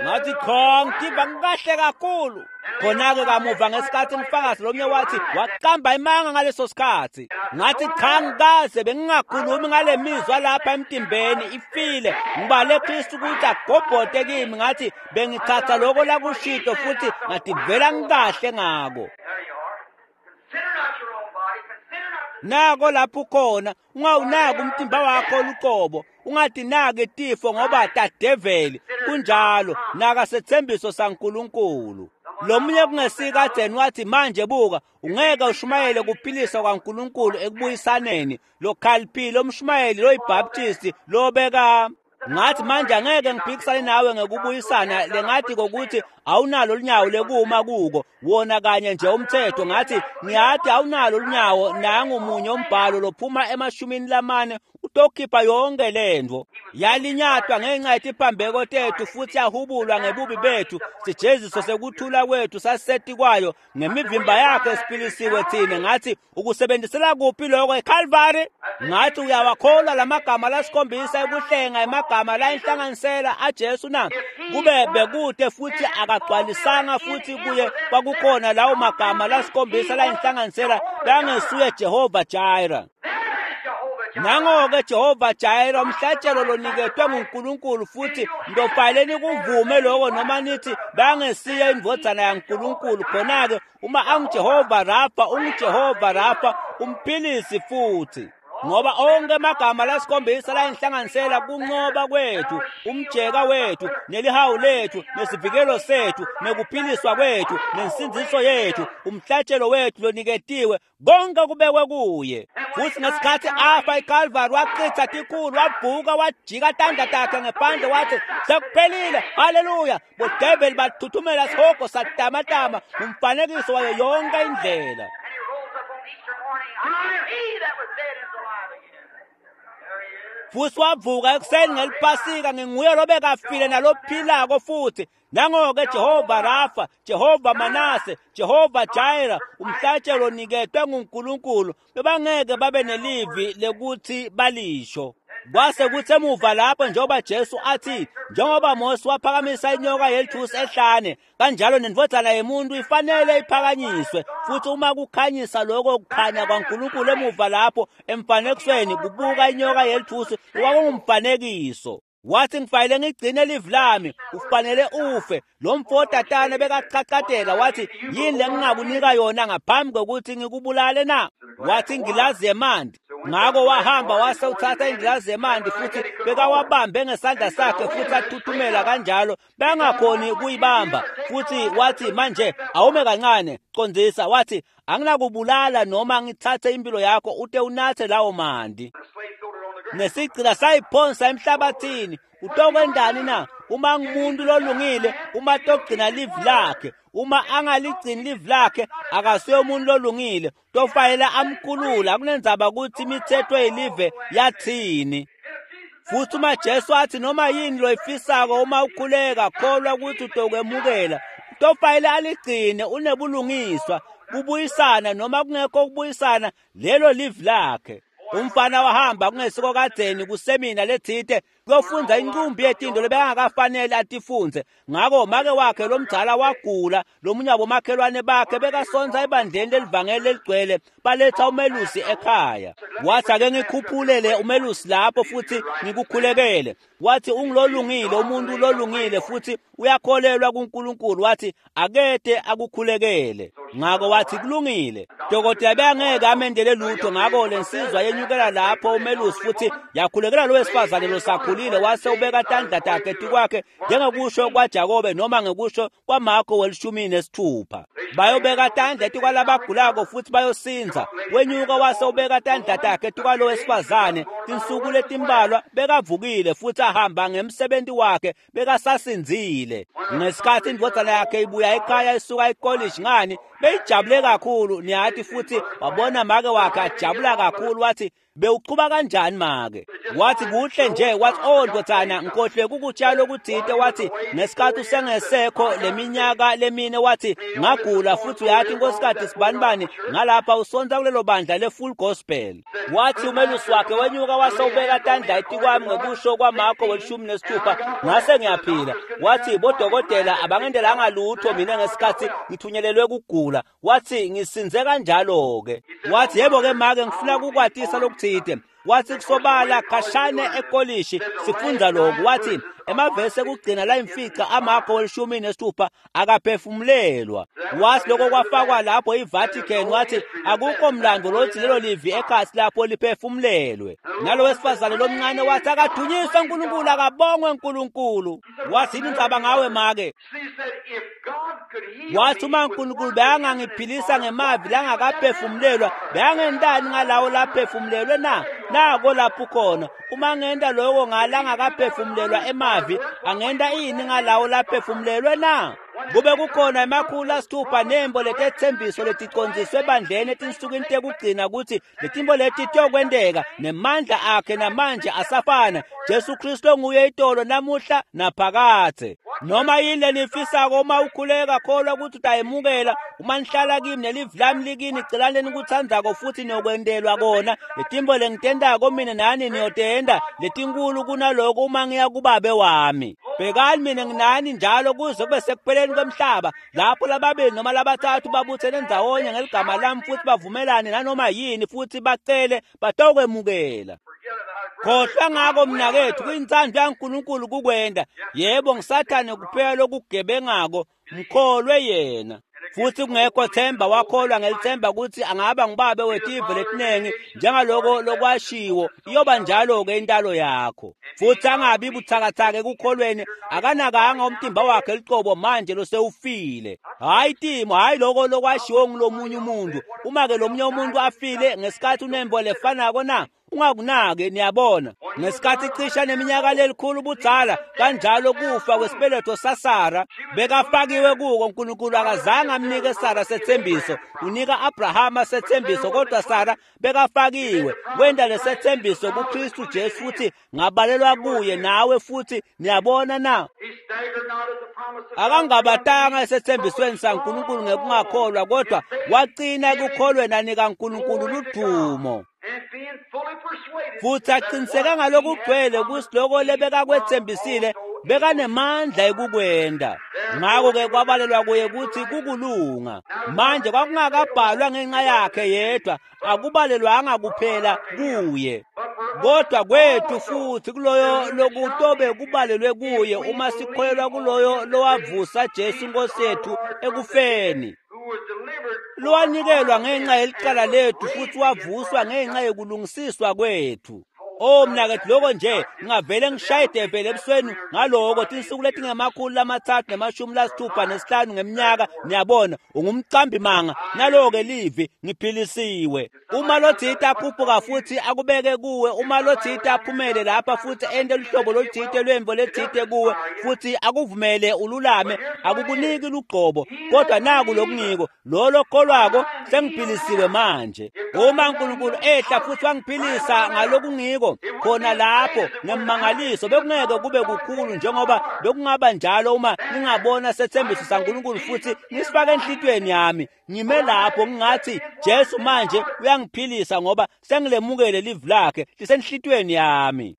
Ngathi cha, ngitiva ngikahle kakhulu. Khona-ke kamuva ngesikhathi ngifakazi lomunye wathi waqamba imanga ngaleso sikhathi. Ngathi cha, ngikaze bengingakhulumi ngale mizwa lapha emtimbeni ifile. Ngibale Kristu ukuthi agobhote kimi. Ngathi bengithatha lokho lakushito futhi ngativela ngikahle ngako. There you are. Consider not your own body. Consider not the Nako lapho ukhona, ungawunaki umtimba wakho luqobo, ungatinaki tifo ngoba tadeveli. Kunjalo, naka sethembiso saNkulunkulu. Lomunye kungesikadzeni wathi manje buka, ungeke ushumayele kuphilisa kwaNkulunkulu ekubuyisaneni. Lokhaliphile umshumayeli loyiBaptist lobeka. Ngathi manje angeke ngiphikisane nawe ngekubuyisana, lengathi kokuthi awunalo lunyawo lekuma kuko wona kanye nje umthetho. Ngathi ngiyathi awunalo lunyawo, nangu munye umbhalo lophuma e-40 utokhipha yonke lento. Yalinyatwa ngenxa yetiphambeko tethu futhi yahubulwa ngebubi bethu, sijeziso sekuthula kwethu saseti kwayo, ngemivimba yakhe siphilisiwe thina. Ngathi ukusebenzisela kuphi lokho eCalvary? Ngathi uyawakholwa lamagama lasikhombisa ekuhlenga, emagama la inhlanganisela aJesu na? Kube bekude futhi akagcwalisanga futhi kuye kwakukhona lawo magama lasikhombisa la inhlanganisela, langesuye Jehova Jireh. There is Jehovah Jireh. Nango-ke Jehova Jireh, umhlatshelo loniketwe nguNkulunkulu, futhi ndofanele nikuvume lokho noma nithi bangesiye indvodzana yaNkulunkulu. Khona-ke uma anguJehova Rafa, unguJehova Rafa umphilisi futhi, ngoba onke amagama lasikhombisa la inhlanganisela kuncoba kwethu, umjeka wethu, nelihawu lethu, nesivikelo sethu, nekuphiliswa kwethu, nensindziso yethu, umhlatshelo wethu loniketiwe, konke kubekwe kuye. Futhi ngesikhathi afa eCalvary, wachitha tikhulu, wavuka, wajika tandla takhe ngephandle, wathi sekuphelile, haleluya. Bodeveli bathuthumela, sihogo satamatama, umfanekiso wayo yonke indlela. And he rose up on Easter morning. I am he that was dead is alive again. There he is. Futhi wavuka ekuseni ngeliphasika, nginguye lobekafile nalophilako futhi. Nango-ke Jehova Rafa, Jehova Manase, Jehova Jireh, umhlatshelo oniketwe nguNkulunkulu. Bebangeke babe nelivi lekuthi balisho. Kwase kuthi emuva lapho njengoba Jesu athi, njengoba Mose waphakamisa inyoka yelithusi ehlane, kanjalo nendvodzana yemuntu ifanele iphakanyiswe. Futhi uma kukhanyisa lokho kukhanya kwaNkulunkulu emuva lapho emfanekisweni, kubuka inyoka yelithusi kwakungumfanekiso. Wathi ngifanele ngigcine livi lami, ufanele ufe. Lo mfo tatane bekachachatela, wathi yini lengingakunika yona ngaphambi kokuthi ngikubulale na? Wathi ingilazi yemanti. Ngako wahamba wase uthatha ingilazi yemanti futhi bekawabambe ngesandla sakhe futhi athuthumela kanjalo, bengakhoni kuyibamba. Futhi wathi manje awume kancane, condzisa. Wathi anginakubulala noma ngithathe impilo yakho ute unathe lawo manti. The slave threw it on the ground. Nesigcila sayiphonsa emhlabathini. Utokwendani na? Uma ngumuntu lolungile, uma togcina livi lakhe, uma angaligcini livi lakhe akasuye umuntu lolungile, tofanele amkhulula. Akunendzaba ukuthi imithetho yelive yathini. Futhi uma Jesu athi noma yini loyifisako uma ukhuleka, kholwa ukuthi utokwemukela, tofanele aligcine. Unebulungiswa kubuyisana noma kungekho kubuyisana, lelo livi lakhe. Umfana wahamba kungesiko kadzeni kusemina lethite kuyofundza inqumbi yetinto lebekangakafanele atifunze. Ngako make wakhe lomdzala wagula, lomunye wabomakhelwane bakhe bekasonsa ebandleni lelivangeli leligcwele, baletha umelusi ekhaya. Wathi ake ngikhuphulele umelusi lapho futhi ngikukhulekele. Wathi ungilolungile, umuntu lolungile futhi uyakholelwa kuNkulunkulu. Wathi akete akukhulekele. Ngako wathi kulungile. Dokotela bengeke amendele lutho. Ngako lensizwa yenyukela lapho umelusi futhi yakhulekela lo wesifazane losakhulile. sekavulile wase ubeka tandla takhe tikwakhe njengekusho kwaJakobe noma ngekusho kwaMarko 16. Bayobeka tandla tikwalabagulako futhi bayosinza. Wenyuka wase ubeka tandla takhe tikwalo wesifazane. Tinsuku letimbalwa bekavukile futhi ahamba ngemsebenzi wakhe bekasasinzile. Ngesikhathi indvodzana yakhe ibuya ekhaya isuka ekolishi ngani beyijabule kakhulu niyathi futhi wabona make wakhe ajabula kakhulu wathi bewuqhuba kanjani make? Wathi kuhle nje. Wathi oh ndvodzana ngikhohlwe kukutshala okuthite. Wathi ngesikhathi usengesekho leminyaka lemine wathi ngagula futhi uyathi inkosikade sibanibani ngalapha usonta kulelo bandla le-Full Gospel. Wathi umelusi wakhe wenyuka wase ubeka tandla etikwami ngekusho kwaMarko 16 ngase ngiyaphila. Wathi bodokotela abangendelanga lutho mina ngesikhathi ngithunyelelwe kugula. Wathi ngisinze kanjalo-ke. Wathi yebo-ke make ngifuna kukwatisa lokuthite. Wathi kusobala khashane ekolishi sifunda lokhu. Wathi emavesi ekugcina la imfica aMarko 16 akaphefumulelwa. Wathi lokho kwafakwa lapho iVatican. Wathi akukho mlando lothi lelo livi ekhasi lapho liphefumulelwe. Nalo wesifazane lomncane wathi akadunyiswe uNkulunkulu, akabongwe uNkulunkulu. Wathi yini indzaba ngawe make? Wathi uma uNkulunkulu beyangangiphilisa ngemavi langakaphefumulelwa beyangentani ngalawo laphefumulelwe na? Nako lapho khona. Uma ngenta lokho ngalangakaphefumulelwa emavi angenta ini ngalawo laphefumulelwe na? Kube kukhona 600 nembo letethembiso leticondziswe ebandleni etinsukwini tekugcina ukuthi letimbo leti tiyokwenteka nemandla akhe namanje asafana. Jesu Kristu nguye itolo namuhla naphakadze. Noma yini lenifisako uma ukhuleka kholwa ukuthi utayemukela. Uma nihlala kimi nelivi lami likini celani lenikutsandzako futhi niyokwentelwa kona. Letimbo lengitentako mina nani niyotenta letinkulu kunaloko uma ngiya kubabe wami. Bhekani mina nginani njalo kuze kube sekupheleni kwemhlaba lapho lababili noma labathathu babuthene ndzawonye ngeligama lami futhi bavumelane nanoma yini futhi bacele batokwemukela. Khohlwa ngako mnakethu, kuyintsandvo yaNkulunkulu kukwenda. Yebo ngisathane kuphela lokugebengako, mkholwe yena. Futhi kungekho themba wakholwa ngelithemba ukuthi angaba ngubabe wetive letinengi njengaloko lokwashiwo iyoba njalo-ke intalo yakho. Futhi angabi buthakathaka ekukholweni, akanakanga umtimba wakhe licobo manje losewufile. Hhayi timo, hhayi loko lokwashiwo ngulomunye umuntu. Uma-ke lomunye umuntu afile ngesikhathi unembo lefanako na? Ungakunaki, niyabona. Ngesikhathi cisha neminyaka lelikhulu budzala kanjalo kufa kwesibeletho saSara bekafakiwe kuko. uNkulunkulu akazange amnike Sara sethembiso, unika Abrahama sethembiso, kodwa Sara bekafakiwe. Wenda lesethembiso kuKristu Jesu futhi ngabalelwa kuye nawe futhi niyabona na? Akangabatanga esethembisweni saNkulunkulu ngekungakholwa, kodwa waqina ekukholweni anika uNkulunkulu ludumo. Futhi aqiniseka ngalokugcwele ukuthi lokho lebekakwethembisile bekanemandla ekukwenda. Ngakho-ke kwabalelwa kuye ukuthi kukulunga. Manje kwakungakabhalwa ngenxa yakhe yedwa, akubalelwanga kuphela kuye, kodwa kwethu futhi kuloyo lokutobe kubalelwe kuye uma sikholelwa kuloyo lowavusa Jesu Inkosi yethu ekufeni, lowanikelwa ngenxa yelicala lethu futhi wavuswa ngenxa yokulungisiswa kwethu. Oh mnakethu, lokho nje ngingavele ngishaye ideveli ebusweni ngaloko tinsuku letingama-365 ngeminyaka. Niyabona ungumcambi manga. Naloko-ke livi ngiphilisiwe. Uma lothite akhuphuka futhi akubeke kuwe, uma lothite aphumele lapha futhi ente luhlobo loluthite lwemvo lethite kuwe futhi akuvumele ululame, akukuniki lugcobo, kodwa naku lokungiko lolo kholwako sengiphilisiwe manje. Uma uNkulunkulu ehla futhi wangiphilisa ngalokungiko khona lapho ngemmangaliso, bekungeke kube kukhulu njengoba bekungaba njalo uma ngingabona sethembiso saNkulunkulu futhi ngisifake enhlitiyweni yami. Ngime lapho ngingathi Jesu manje uyangiphilisa ngoba sengilemukele livi lakhe lisenhlitiyweni yami.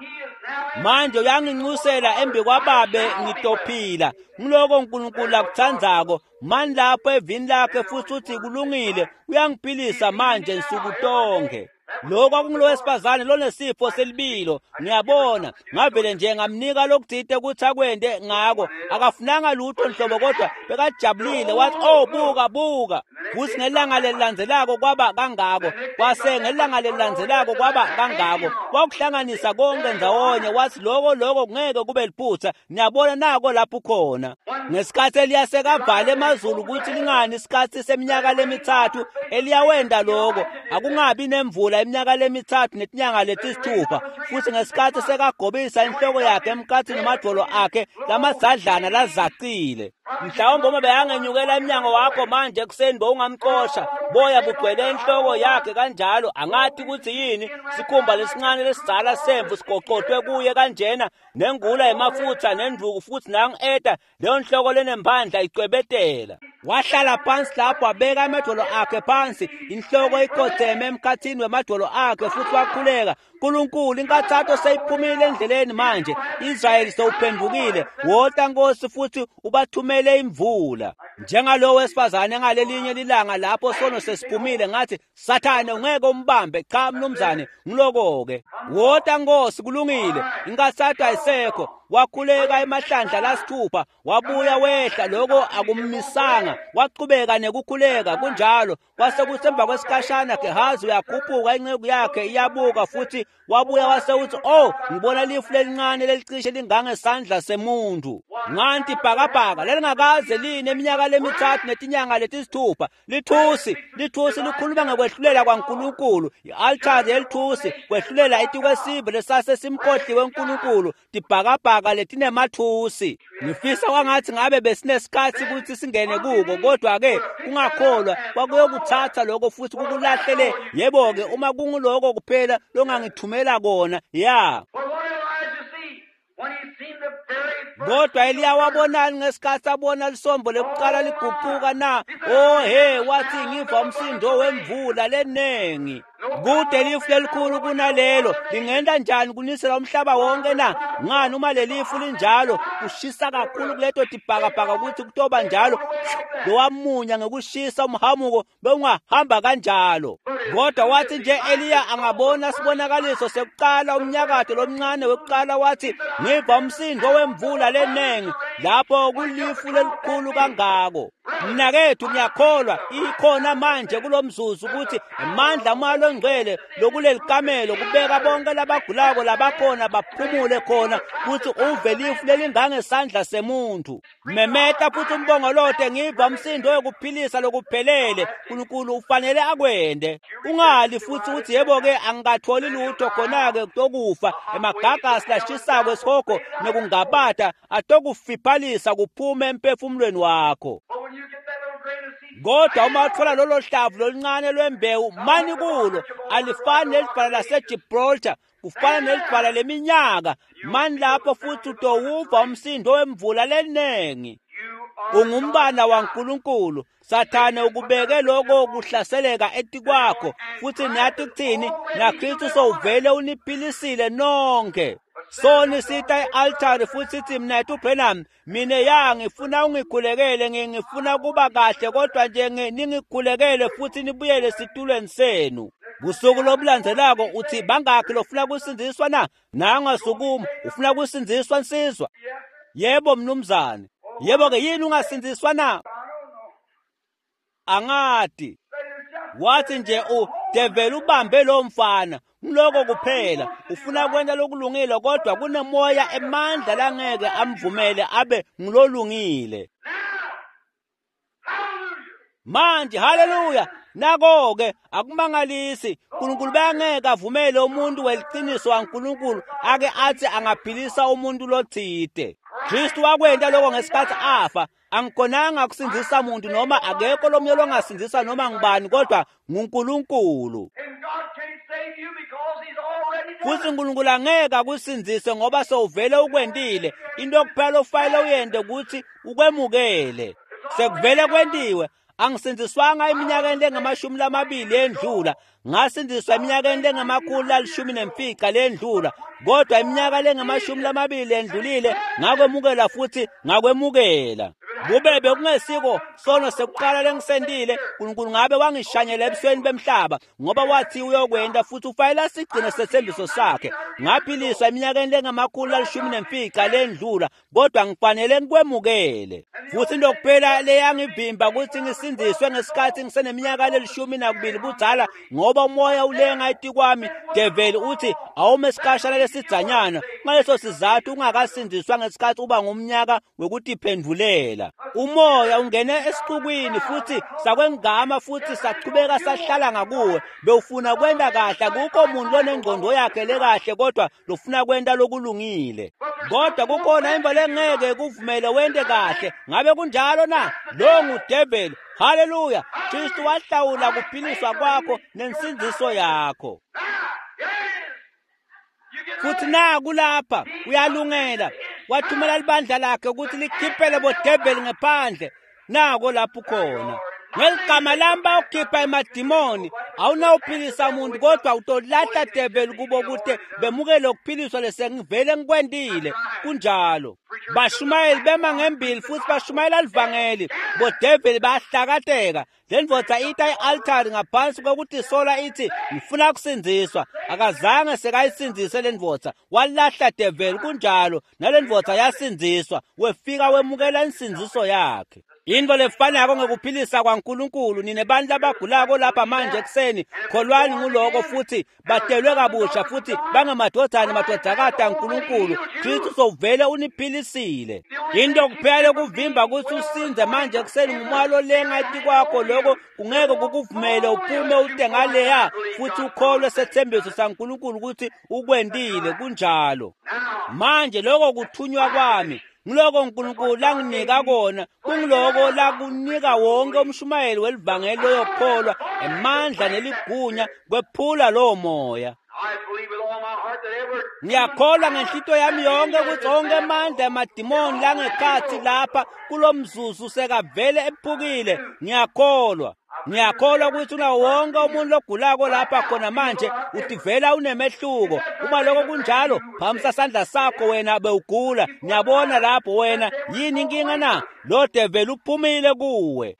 Manje uyanginxusela embi kwababe ngitophila. Ngiloko uNkulunkulu akuthandzako. Mani lapho evini lakhe futhi uthi kulungile, uyangiphilisa manje nsuku tonke. Lokho kwakungulowesifazane lonesifo selibilo. Ngiyabona ngavele nje ngamnika lokuthite ukuthi akwende ngako, akafunanga lutho nhlobo, kodwa bekajabulile. Wathi, oh, buka buka. Futhi ngelanga lelilandzelako kwaba kangako, kwase ngelanga lelilandzelako kwaba kangako, kwakuhlanganisa konke ndzawonye. Wathi lokho lokho ngeke kube liphutha. Niyabona nako lapho khona. Ngesikhathi Eliya sekavale emazulu ukuthi lingani isikhathi seminyaka lemithathu, Eliya wenda lokho akungabi nemvula iminyaka lemithathu netinyanga letisithupha. Futhi ngesikhathi sekagobisa inhloko yakhe emkhathini namadvolo akhe lamadzadlana lazacile, mhlawumbe uma beyangenyukela emnyango wakho manje ekuseni bowungamxosha, boya bugcwele inhloko yakhe kanjalo. Angathi ukuthi yini, sikhumba lesincane lesidzala semvu sigoqotwe kuye kanjena, nengula yemafutha nenduku, futhi nangu-eta leyo nhloko lenemphandla icwebetela. Wahlala phansi lapho, wabeka amadolo akhe phansi, inhloko ikhotheme emkhathini wemadolo akhe, futhi wakhuleka. Nkulunkulu, inkathato seyiphumile endleleni manje, Israyeli sewuphendukile, wota Nkosi futhi ubathumele imvula. Njengalowo wesifazane ngalelinye lilanga lapho sono sesiphumile, ngathi, Sathane ungeke umbambe. Cha mnumzane, ngiloko-ke. Wota Nkosi, kulungile, inkathato ayisekho. Wakhuleka emahlandla lasithupha, wabuya wehla, lokho akummisanga, waqhubeka nekukhuleka kunjalo. Kwase kusemva kwesikhashana Gehazi uyakhuphuka, inceku yakhe iyabuka, futhi wabuya wase uthi, oh, ngibona lifu lelincane lelicishe lingangesandla semuntu. Nganti ibhakabhaka lelingakaze line iminyaka lemithathu netinyanga letisithupha. Lithusi, lithusi likhuluma ngokwehlulela kwaNkulunkulu. I-altare yelithusi kwehlulela etikwesive lesase simkhohliwe uNkulunkulu, tibhakabhaka letinemathusi. Ngifisa kwangathi ngabe besinesikhathi ukuthi singene kuko, kodwa-ke kungakholwa kwakuyokuthatha lokho futhi kukulahlele. Yebo-ke, uma kunguloko kuphela longangithumela kona, ya. Kodwa Eliya wabonani ngesikhathi abona lisombo lekuqala liguquka na? Oh he, wathi ngiva umsindo wemvula lenengi. Kude lifu lelikhulu kunalelo, lingenda njani kunisela umhlaba wonke na? Ngani uma lelifu linjalo kushisa kakhulu kuleto tibhakabhaka ukuthi kutoba njalo. Lowamunya ngekushisa umhamuko bewungahamba kanjalo. Kodwa wathi nje Eliya angabona sibonakaliso sekuqala umnyakato lomncane wekuqala, wathi ngiva umsindo wemvula lenengi lapho kulifu lelikhulu kangako. Mnakethu, ngiyakholwa ikhona manje kulomzuzu ukuthi amandla moya longcwele lokuleli kamelo kubeka bonke labagulako labakhona baphumule khona, kuthi uve lifu lelingangesandla semuntu. Memeta futhi umbongolote, ngiva umsindo wekuphilisa lokuphelele. uNkulunkulu ufanele akwende. Ungali futhi uthi yebo-ke angikatholi lutho, khona-ke kutokufa emagagasi lashisako esihogo nekungabata atokufiphalisa kuphume emphefumulweni wakho. Kodwa uma uthola lolo hlavu loluncane lwembewu, mani kulo, alifani nelidwala laseGibraltar, kufana nelidwala leminyaka. Mani lapho futhi utowuva umsindo wemvula lenengi. Ungumbana waNkulunkulu. Sathane ukubeke lokho kuhlaseleka etikwakho, futhi niyathi kuthini? NaKristu sowuvele uniphilisile nonke. Soni sita e-altare futhi sithi, mnethu Branham, mina ya ngifuna ungikhulekele, ngifuna kuba kahle, kodwa nje ningikhulekele futhi nibuyele esitulweni senu. Busuku lobulandzelako uthi, bangakhi lofuna kusindziswa na? Nangasukuma, ufuna kusindziswa nsizwa? Yebo mnumzane. Yebo-ke, yini ungasindziswa na? Angati. Wathi nje udeveli ubambe lo mfana, ngiloko kuphela ufuna kwenta lokulungile, kodwa kunemoya emandla langeke amvumele abe ngilolungile. Manje haleluya, nako-ke akumangalisi uNkulunkulu bangeke avumele umuntu weliciniso waNkulunkulu ake athi angaphilisa umuntu lothide. Kristu wakwenta lokho ngesikhathi afa. Angikhonanga kusindzisa muntu noma akekho lomunye longasindzisa noma ngubani, kodwa nguNkulunkulu. Futhi uNkulunkulu angeke akusindzise ngoba sewuvele ukwentile. Into kuphela ofanele uyente ukuthi ukwemukele. Sekuvele kwentiwe. Angisindziswanga eminyakeni lengamashumi lamabili endlula, ngasindziswa eminyakeni lengama-115 lendlula, kodwa iminyaka lengamashumi lamabili endlulile ngakwemukela futhi ngakwemukela. Kube bekungesiko sono sekuqala lengisentile, uNkulunkulu ngabe wangishanyela ebusweni bemhlaba, ngoba wathi uyokwenda futhi ufanele sigcine sethembiso sakhe. Ngaphiliswa eminyakeni lengama-115 lendlula, kodwa ngifanele ngikwemukele. Futhi into kuphela leyangivimba ukuthi ngisindiswe ngesikhathi ngiseneminyaka le-12 budzala, ngoba umoya ulenga etikwami. Develi uthi awume isikhashana lesidzanyana. Ngaleso sizathu ungakasindiswa ngesikhathi uba ngumnyaka wokutiphendulela. Umoya ungene esixukwini futhi sakwengama futhi sachubeka sahlala ngakuwe. Bewufuna kwenta kahle, akukho muntu lonengqondo yakhe lekahle kodwa lofuna kwenta lokulungile. Kodwa kukhona imvo lengeke kuvumele wente kahle. Ngabe kunjalo na? Lo ngudeveli. Haleluya! Kristu wahlawula kuphiliswa kwakho nensindziso yakho. Futhi naku lapha uyalungela, wathumela libandla lakhe ukuthi likhiphele bodeveli ngephandle. Nako lapho khona. Ngeligama lami bawukhipha emadimoni. Awunawuphilisa umuntu kodwa utolahla develi kubo kute bemukele ukuphiliswa lesengivele ngikwentile. Kunjalo. Bashumayeli bema ngembili futhi bashumayela livangeli. Bodeveli bayahlakateka. Le ndvodza ita i-altari ngaphansi kwekutisola ithi ngifuna kusindziswa. Akazange sekayisindzise le ndvodza, walahla develi. Kunjalo, nale ndvodza yasindziswa, wefika wemukela insindziso yakhe. Into lefanako ngekuphilisa kwaNkulunkulu. Nine bantu labagulako lapha manje ekuseni, kholwani nguloko futhi batelwe kabusha futhi bangemadvodzana nemadvodzakati aNkulunkulu. Kristu sovele uniphilisile. Into kuphela lokuvimba ukuthi usindze manje ekuseni ngumoya lolenga etikwakho. Lokho kungeke kukuvumele uphume ute ngaleya futhi ukholwe sethembiso saNkulunkulu ukuthi ukwentile. Kunjalo. Manje lokho kuthunywa kwami, ngiloko uNkulunkulu langinika kona, kungiloko lakunika wonke umshumayeli welivangeli loyokholwa emandla neligunya kwephula lowo moya. Ngiyakholwa ngenhlito yami yonke ukuthi onke amandla emadimoni langekhathi lapha kulo mzuzu sekavele ephukile. Ngiyakholwa. Ngiyakholwa ukuthi unawo wonke umuntu logulako lapha khona manje utivela unemehluko. Uma lokho kunjalo, phamisa sandla sakho wena bewugula. Ngiyabona lapho wena, yini inkinga na? Lo develi uphumile kuwe.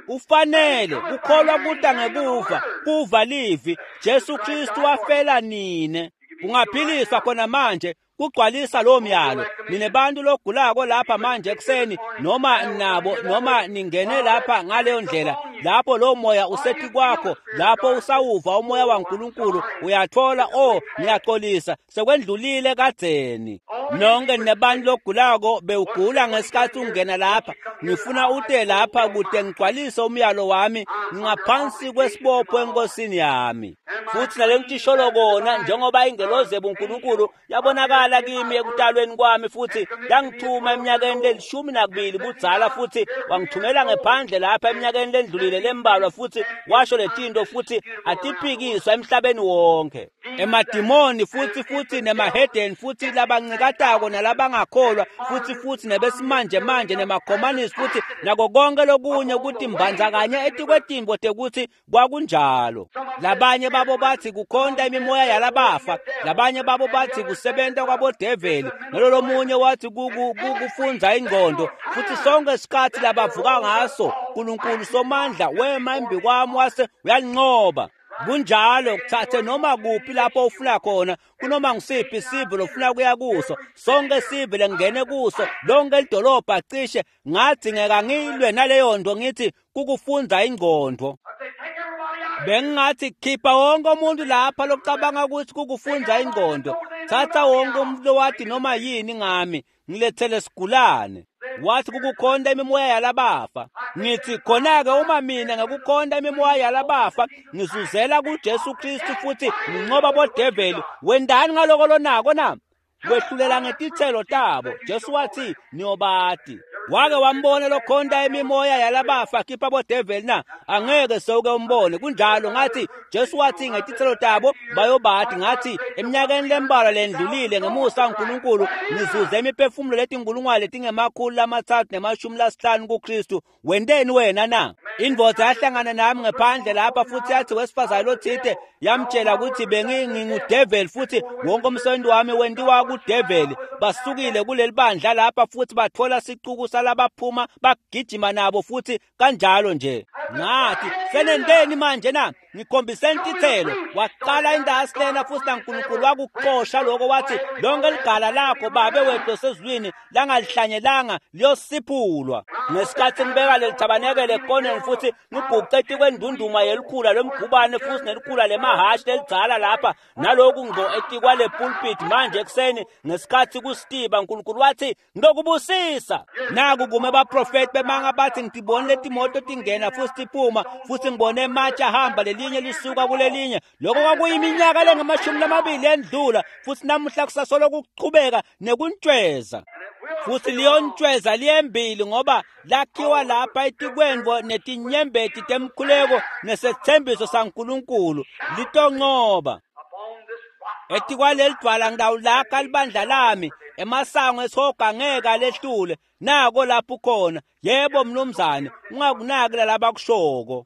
Ufanele kukholwa kuta ngekuva, kuva livi. Jesu Kristu wafela nine. Ungaphiliswa khona manje kugcwalisa lo myalo. Nine bantu logulako lapha manje ekuseni, noma nabo noma ningene lapha ngaleyo ndlela, lapho lo moya usethi kwakho, lapho usawuva umoya waNkulunkulu uyathola, oh ngiyaxolisa, sekwendlulile kadzeni. Nonke nebantu logulako bewugula ngesikhathi ungena lapha, ngifuna ute lapha kude ngigcwalise umyalo wami ngaphansi kwesibopho enkosini yami. Futhi nale ngitisholo kona, njengoba ingelozi ebuNkulunkulu yabonakala kimi ekutalweni kwami futhi yangithuma eminyakeni le-12 budzala, futhi wangithumela ngephandle lapha eminyakeni lendlulile lembalwa, futhi washo letinto futhi atiphikiswa emhlabeni wonke. Emadimoni futhi nemahedeni futhi labancikatako nalabangakholwa futhi nebesimanje manje nemakhomanisi futhi nako konke lokunye ukuthi mbandzakanye etikwetimbo tekuthi kwakunjalo. Labanye babo bathi kukhonta imimoya yalabafa, labanye babo bathi kusebenta kwabodeveli, nalolomunye wathi kufunza ingqondo. Futhi sonke isikhathi labavuka ngaso, uNkulunkulu somandla wema embi kwami wase uyalinqoba. Kunjalo, kuthathe noma kuphi lapho ufuna khona, kunoma ngisiphi isive lofuna kuya kuso, sonke sive lengene kuso, lonke lidolobha cishe. Ngadzingeka ngilwe naleyo nto, ngithi kukufunza ingqondo. Bengingathi khipha wonke umuntu lapha locabanga ukuthi kukufunza ingqondo, thatha wonke umuntu lowathi noma yini ngami, ngilethele sigulane. Wathi kukukhonta imimoya yalabafa. Ngithi khona-ke uma mina ngekukhonta imimoya yalabafa ngizuzela kuJesu Kristu futhi nginqoba bodeveli, wendani ngaloko lonako na? Wehlulela ngetitselo tabo. Jesu wathi niyobati. Wake wambona lokhonta imimoya yalabafa khipha bodeveli na? Angeke sewuke umbone. Kunjalo, ngathi Jesu wathi ngetitselo tabo bayobati. Ngathi eminyakeni lembalwa lendlulile ngemusa kaNkulunkulu nizuze imiphefumulo letinkulungwane letingama-350 kuKristu. Wenteni wena na? Indvodza yahlangana nami ngephandle lapha futhi yathi wesifazane lothite yamtshela ukuthi bengingudeveli futhi wonke umsebenzi wami wentiwa kudeveli. Basukile kuleli bandla lapha futhi bathola sicuku kusa labaphuma bagijima nabo futhi kanjalo nje. Ngathi senenteni manje na? Ngikhombiseni tithelo. Waqala indasi lena futhi naNkulunkulu wakuxosha lokho, wathi lonke ligala lakho Babe wethu osezulwini langalihlanyelanga liyosiphulwa. Ngesikhathi ngibeka leli thabanekele ekoneni futhi ngibhuqe etikwendunduma yelikhula lomgubane futhi nelikhula lemahashi lelidzala lapha naloku ngqo etikwale pulpit manje ekuseni ngesikhathi kusitiba, uNkulunkulu wathi ngizokubusisa. Naku kume abaprofeti bemanga bathi ngibone letimoto tingena futhi tiphuma futhi ngibone ematshe ahamba lelinye lisuka kulelinye. Lokho kwakuyiminyaka lengamashumi endlula futhi namuhla kusasolo kuqhubeka nekuntshweza futhi liyontshweza liyembili ngoba lakhiwa lapha etikwendvo netinyembeti temkhuleko nesethembiso saNkulunkulu litonqoba. Etikwaleli dwala ngidawulakha libandla lami, emasango esihoga ngeke alehlule. Nako lapho ukhona. Yebo mnumzane, ungakunaki lalabakushoko.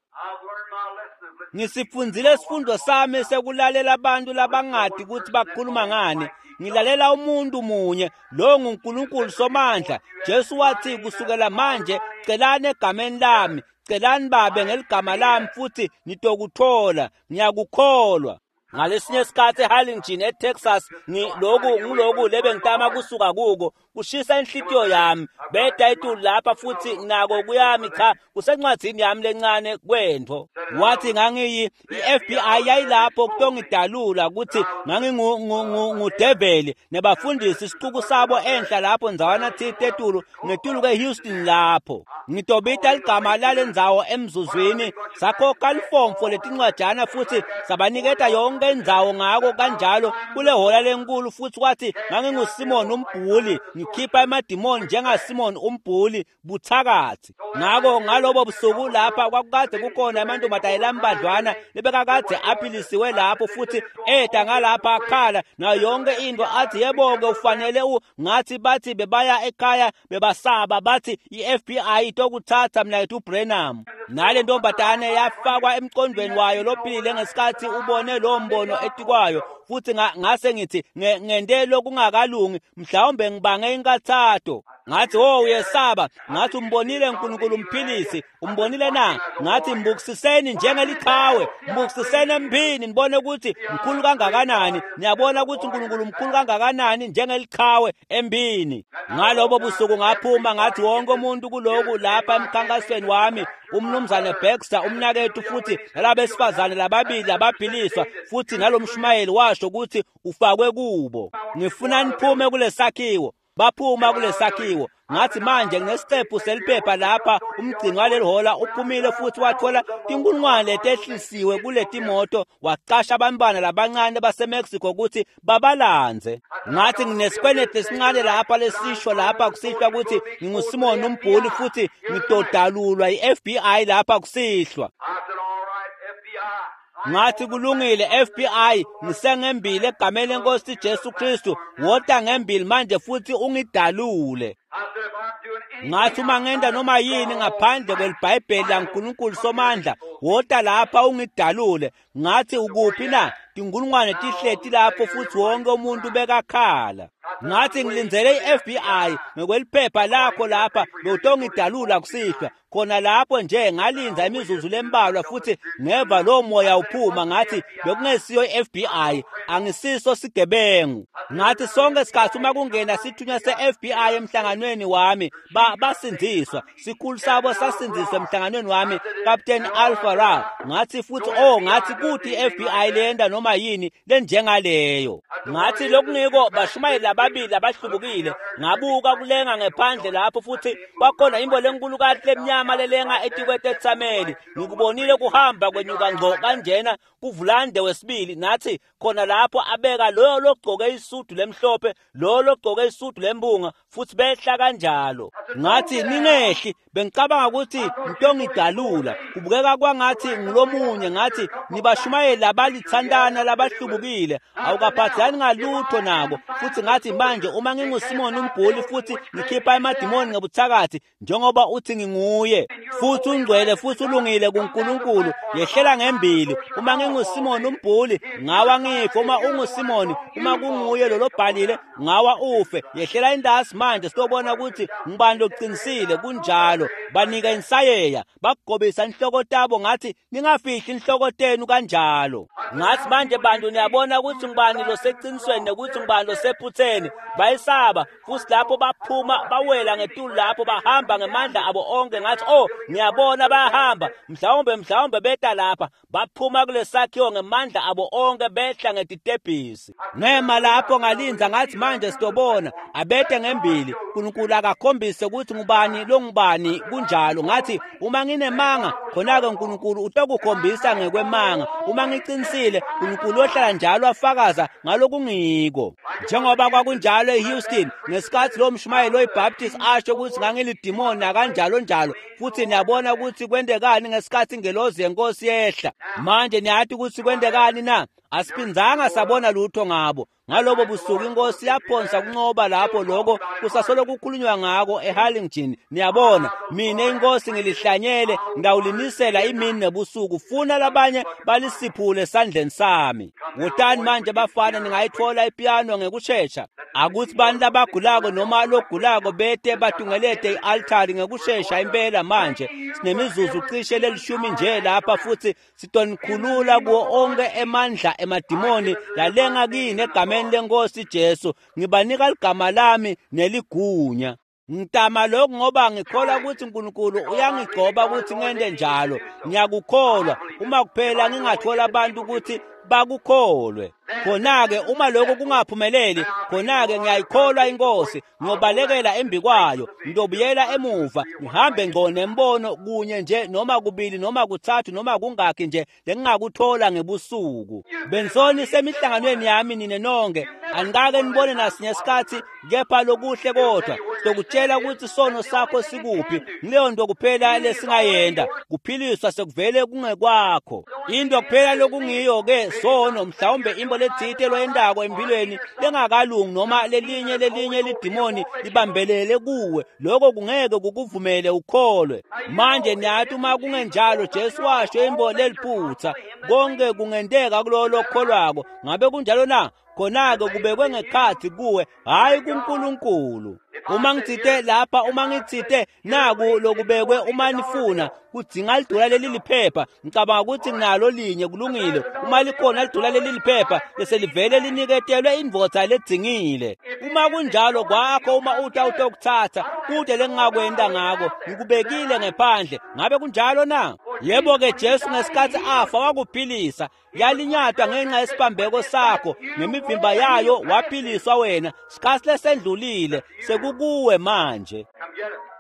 Ngisifundzile isifundo sami sekulalela abantu labangadi ukuthi bakhuluma ngani. Ngilalela umuntu munye, lo nguNkulunkulu Somandla. Jesu wathi kusukela manje celani egameni lami, celani Babe ngeligama lami futhi nitokuthola. Ngiyakukholwa. Ngalesinye isikhathi eHarlingen eTexas, ngiloku lebengitama kusuka kuko kushisa inhlitiyo yami. Beda etulu lapha futhi nako kuyami, cha kusencwadzini yami lencane kwentfo. Wathi ngangiyi i-FBI yayilapho kutongidalula ukuthi ngangingudeveli nebafundisi isicuku sabo enhla lapho ndzawana thite etulu ngetulu kweHouston lapho. Ngitobita ligama lalendzawo emzuzwini. Sakhokha lifomfo letincwajana futhi sabaniketa yonke indzawo ngako kanjalo kule hola lenkulu. Futhi wathi nganginguSimon umbhuli, ngikhipha emadimoni njengaSimon umbhuli buthakathi. Ngako ngalobo busuku lapha kwakukade kukhona amantombazane lambadlwana lebekakade aphilisiwe lapho futhi eda ngalapha akhala nayo yonke into athi yebo-ke ufanele ngathi bathi bebaya ekhaya bebasaba bathi i-FBI itokuthatha mnakethu uBrenham. Nale ntombazane yafakwa emqondweni wayo lophilile ngesikhathi ubone lo mbono etikwayo. Futhi ngase ngithi ngente lokungakalungi, mhlawumbe ngibange inkathato. Ngathi oh uyesaba. Ngathi umbonile uNkulunkulu umphilisi, umbonile na? Ngathi mbukisiseni njengeliqhawe, mbukisiseni emphini nibone ukuthi mkhulu kangakanani. Niyabona ukuthi uNkulunkulu mkhulu kangakanani njengeliqhawe emphini. Ngalobo busuku ngaphuma ngathi wonke umuntu kuloku lapha emkhankasweni wami, umnumzane Baxter umnakethu futhi nalabesifazane lababili abaphiliswa futhi nalomshumayeli washo ukuthi ufakwe kubo. Ngifuna niphume kulesakhiwo. Baphuma kulesakhiwo. Ngathi manje nginesiqephu seliphepha lapha, umgcini waleli hola uphumile futhi wathola tinkulungwane letehlisiwe kuletimoto, waqasha abantwana labancane baseMexico ukuthi babalandze. Ngathi nginesikweleti esincane lapha lesisho lapha kusihlwa ukuthi nginguSimon umbhuli futhi ngitodalulwa i-FBI lapha kusihlwa. Ngathi kulungile FBI, ngisengembili egameni lenkosi Jesu Kristu, wota ngembili manje futhi ungidalule. Ngathi uma ngenta noma yini ngaphandle kweliBhayibheli laNkulunkulu Somandla, wota lapha ungidalule. Ngathi ukuphi na? Tinkulungwane tihleti lapho futhi wonke umuntu bekakhala. Ngathi ngilindzele i-FBI ngokweliphepha lakho lapha bewutongidalula kusihlwa. Khona lapho nje ngalinda imizuzu lembalwa futhi ngeva lo moya uphuma. Ngathi bekungesiyo i-FBI, angisiso sigebengu. Ngathi sonke isikhathi uma kungena sithunywa se-FBI emhlanganweni wami basindziswa. Sikhulu sabo sasindziswa emhlanganweni wami, Captain Alpha Ra. Ngathi futhi oh ngathi kuthi i-FBI leyenda noma yini lenjengaleyo. Ngathi lokungiko bashumayeli lababili abahlubukile. Ngabuka kulenga ngephandle lapho futhi kwakhona imbo lenkulukazi lemnyama lelenga etikwetetsameli. Ngikubonile kuhamba kwenyuka ngqo kanjena kuvulande wesibili. Nathi khona lapho abeka loyo logcoke isudu lemhlophe, loyo logcoke isudu lembunga futhi behla kanjalo. Ngathi ningehli, bengicabanga ukuthi ngitongidalula, kubukeka kwangathi ngilomunye. Ngathi nibashumayeli labalithandana labahlubukile, awukaphathani ngalutho nako. Futhi ngathi manje uma nginguSimon umbhuli futhi ngikhipha emadimoni ngebuthakathi njengoba uthi nginguye, nginguye futhi ungcwele futhi ulungile kuNkulunkulu, yehlela ngembili. Uma nginguSimoni umbhuli, ngawa ngife. Uma unguSimoni, uma kunguye lo lobhalile, ngawa ufe. Yehlela indasi manje sitobona ukuthi ngibani loqinisile. Kunjalo. Banika insayeya, bakugobisa inhloko tabo, ngathi ningafihli inhloko tenu kanjalo. Ngathi manje bantu niyabona ukuthi ngibani loseqinisweni nokuthi ngibani losephutheni. Bayisaba futhi lapho baphuma bawela ngetulu lapho bahamba ngemandla abo onke. Ngathi oh, ngiyabona bayahamba, mhlawumbe beta lapha. Baphuma kulesakhiwo ngemandla abo onke behla ngetitebhisi. Ngema lapho ngalinza, ngathi manje sitobona abete ngembili. uNkulunkulu akakhombise ukuthi ngubani longubani. Kunjalo. Ngathi uma nginemanga, khona-ke uNkulunkulu utokukhombisa ngekwemanga. Uma ngiqinisile, uNkulunkulu ohlala njalo afakaza ngalokungiko. Njengoba kwakunjalo eHouston ngesikhathi lo mshumayeli oyiBaptist asho ukuthi ngangilidimoni nakanjalo njalo, futhi niyabona ukuthi kwentekani ngesikhathi ingelozi yenkosi yehla. Manje niyathi ukuthi kwentekani na? Asiphinzanga sabona lutho ngabo. Ngalobo busuku inkosi yaphonsa kunqoba lapho, lokho kusasolo kukhulunywa ngako eHarlingen. Niyabona, mina inkosi ngilihlanyele, ngawulinisela imini nebusuku, funa labanye balisiphule esandleni sami. Wotani manje bafana, ningayithola ipiano ngekushesha. Akuthi bantu labagulako noma logulako bete batungelete i-altari ngekushesha impela manje. Sinemizuzu cishe lelishumi nje lapha, futhi sitonikhulula kuwo onke emandla emadimoni lalenga kini egameni lenkosi Jesu. Ngibanika ligama lami neligunya. Ngitama lokhu ngoba ngikholwa ukuthi uNkulunkulu uyangigcoba ukuthi ngente njalo. Ngiyakukholwa. Uma kuphela ngingathola abantu ukuthi bakukholwe, khona-ke uma lokho kungaphumeleli, khona-ke ngiyayikholwa inkosi, ngiyobalekela embi kwayo, ngiyobuyela emuva, ngihambe ngqo nembono kunye nje noma kubili noma kuthathu noma kungakhi nje lengingakuthola ngebusuku. Bensoni semihlanganweni yami nine nonke, anikake nibone nasinye isikhathi kepha lokuhle, kodwa sokutshela ukuthi sono sakho sikuphi. Ngileyo nto kuphela lesingayenda, kuphiliswa sekuvele kungekwakho. Into kuphela lokungiyo-ke sono, mhlawumbe imbo letsite loyendako empilweni lengakalungi noma lelinye lidimoni libambelele kuwe, lokho kungeke kukuvumele ukholwe. Manje niyathi uma kungenjalo, Jesu washo imbo leliphutha, konke kungenteka kulowo lokholwako. Ngabe kunjalo na? Khona-ke kubekwe ngekhathi kuwe, hhayi kuNkulunkulu. Uma ngitsite lapha, uma ngitsite naku lokubekwe, uma nifuna kudzinga lidola leli liphepha, ngicabanga ukuthi nginalo linye, kulungile. Uma likhona lidola leli liphepha, bese livele liniketelwe indvodza ledzingile. Uma kunjalo kwakho, uma uthi awutokuthatha, kude lengingakwenda ngako, ngikubekile ngephandle. Ngabe kunjalo na? Yebo-ke, Jesu ngesikhathi afa wakuphilisa. Yalinyatwa ngenxa yesibambeko sakho, ngemivimba yayo waphiliswa wena. Sikhathi lesendlulile, sekukuwe manje.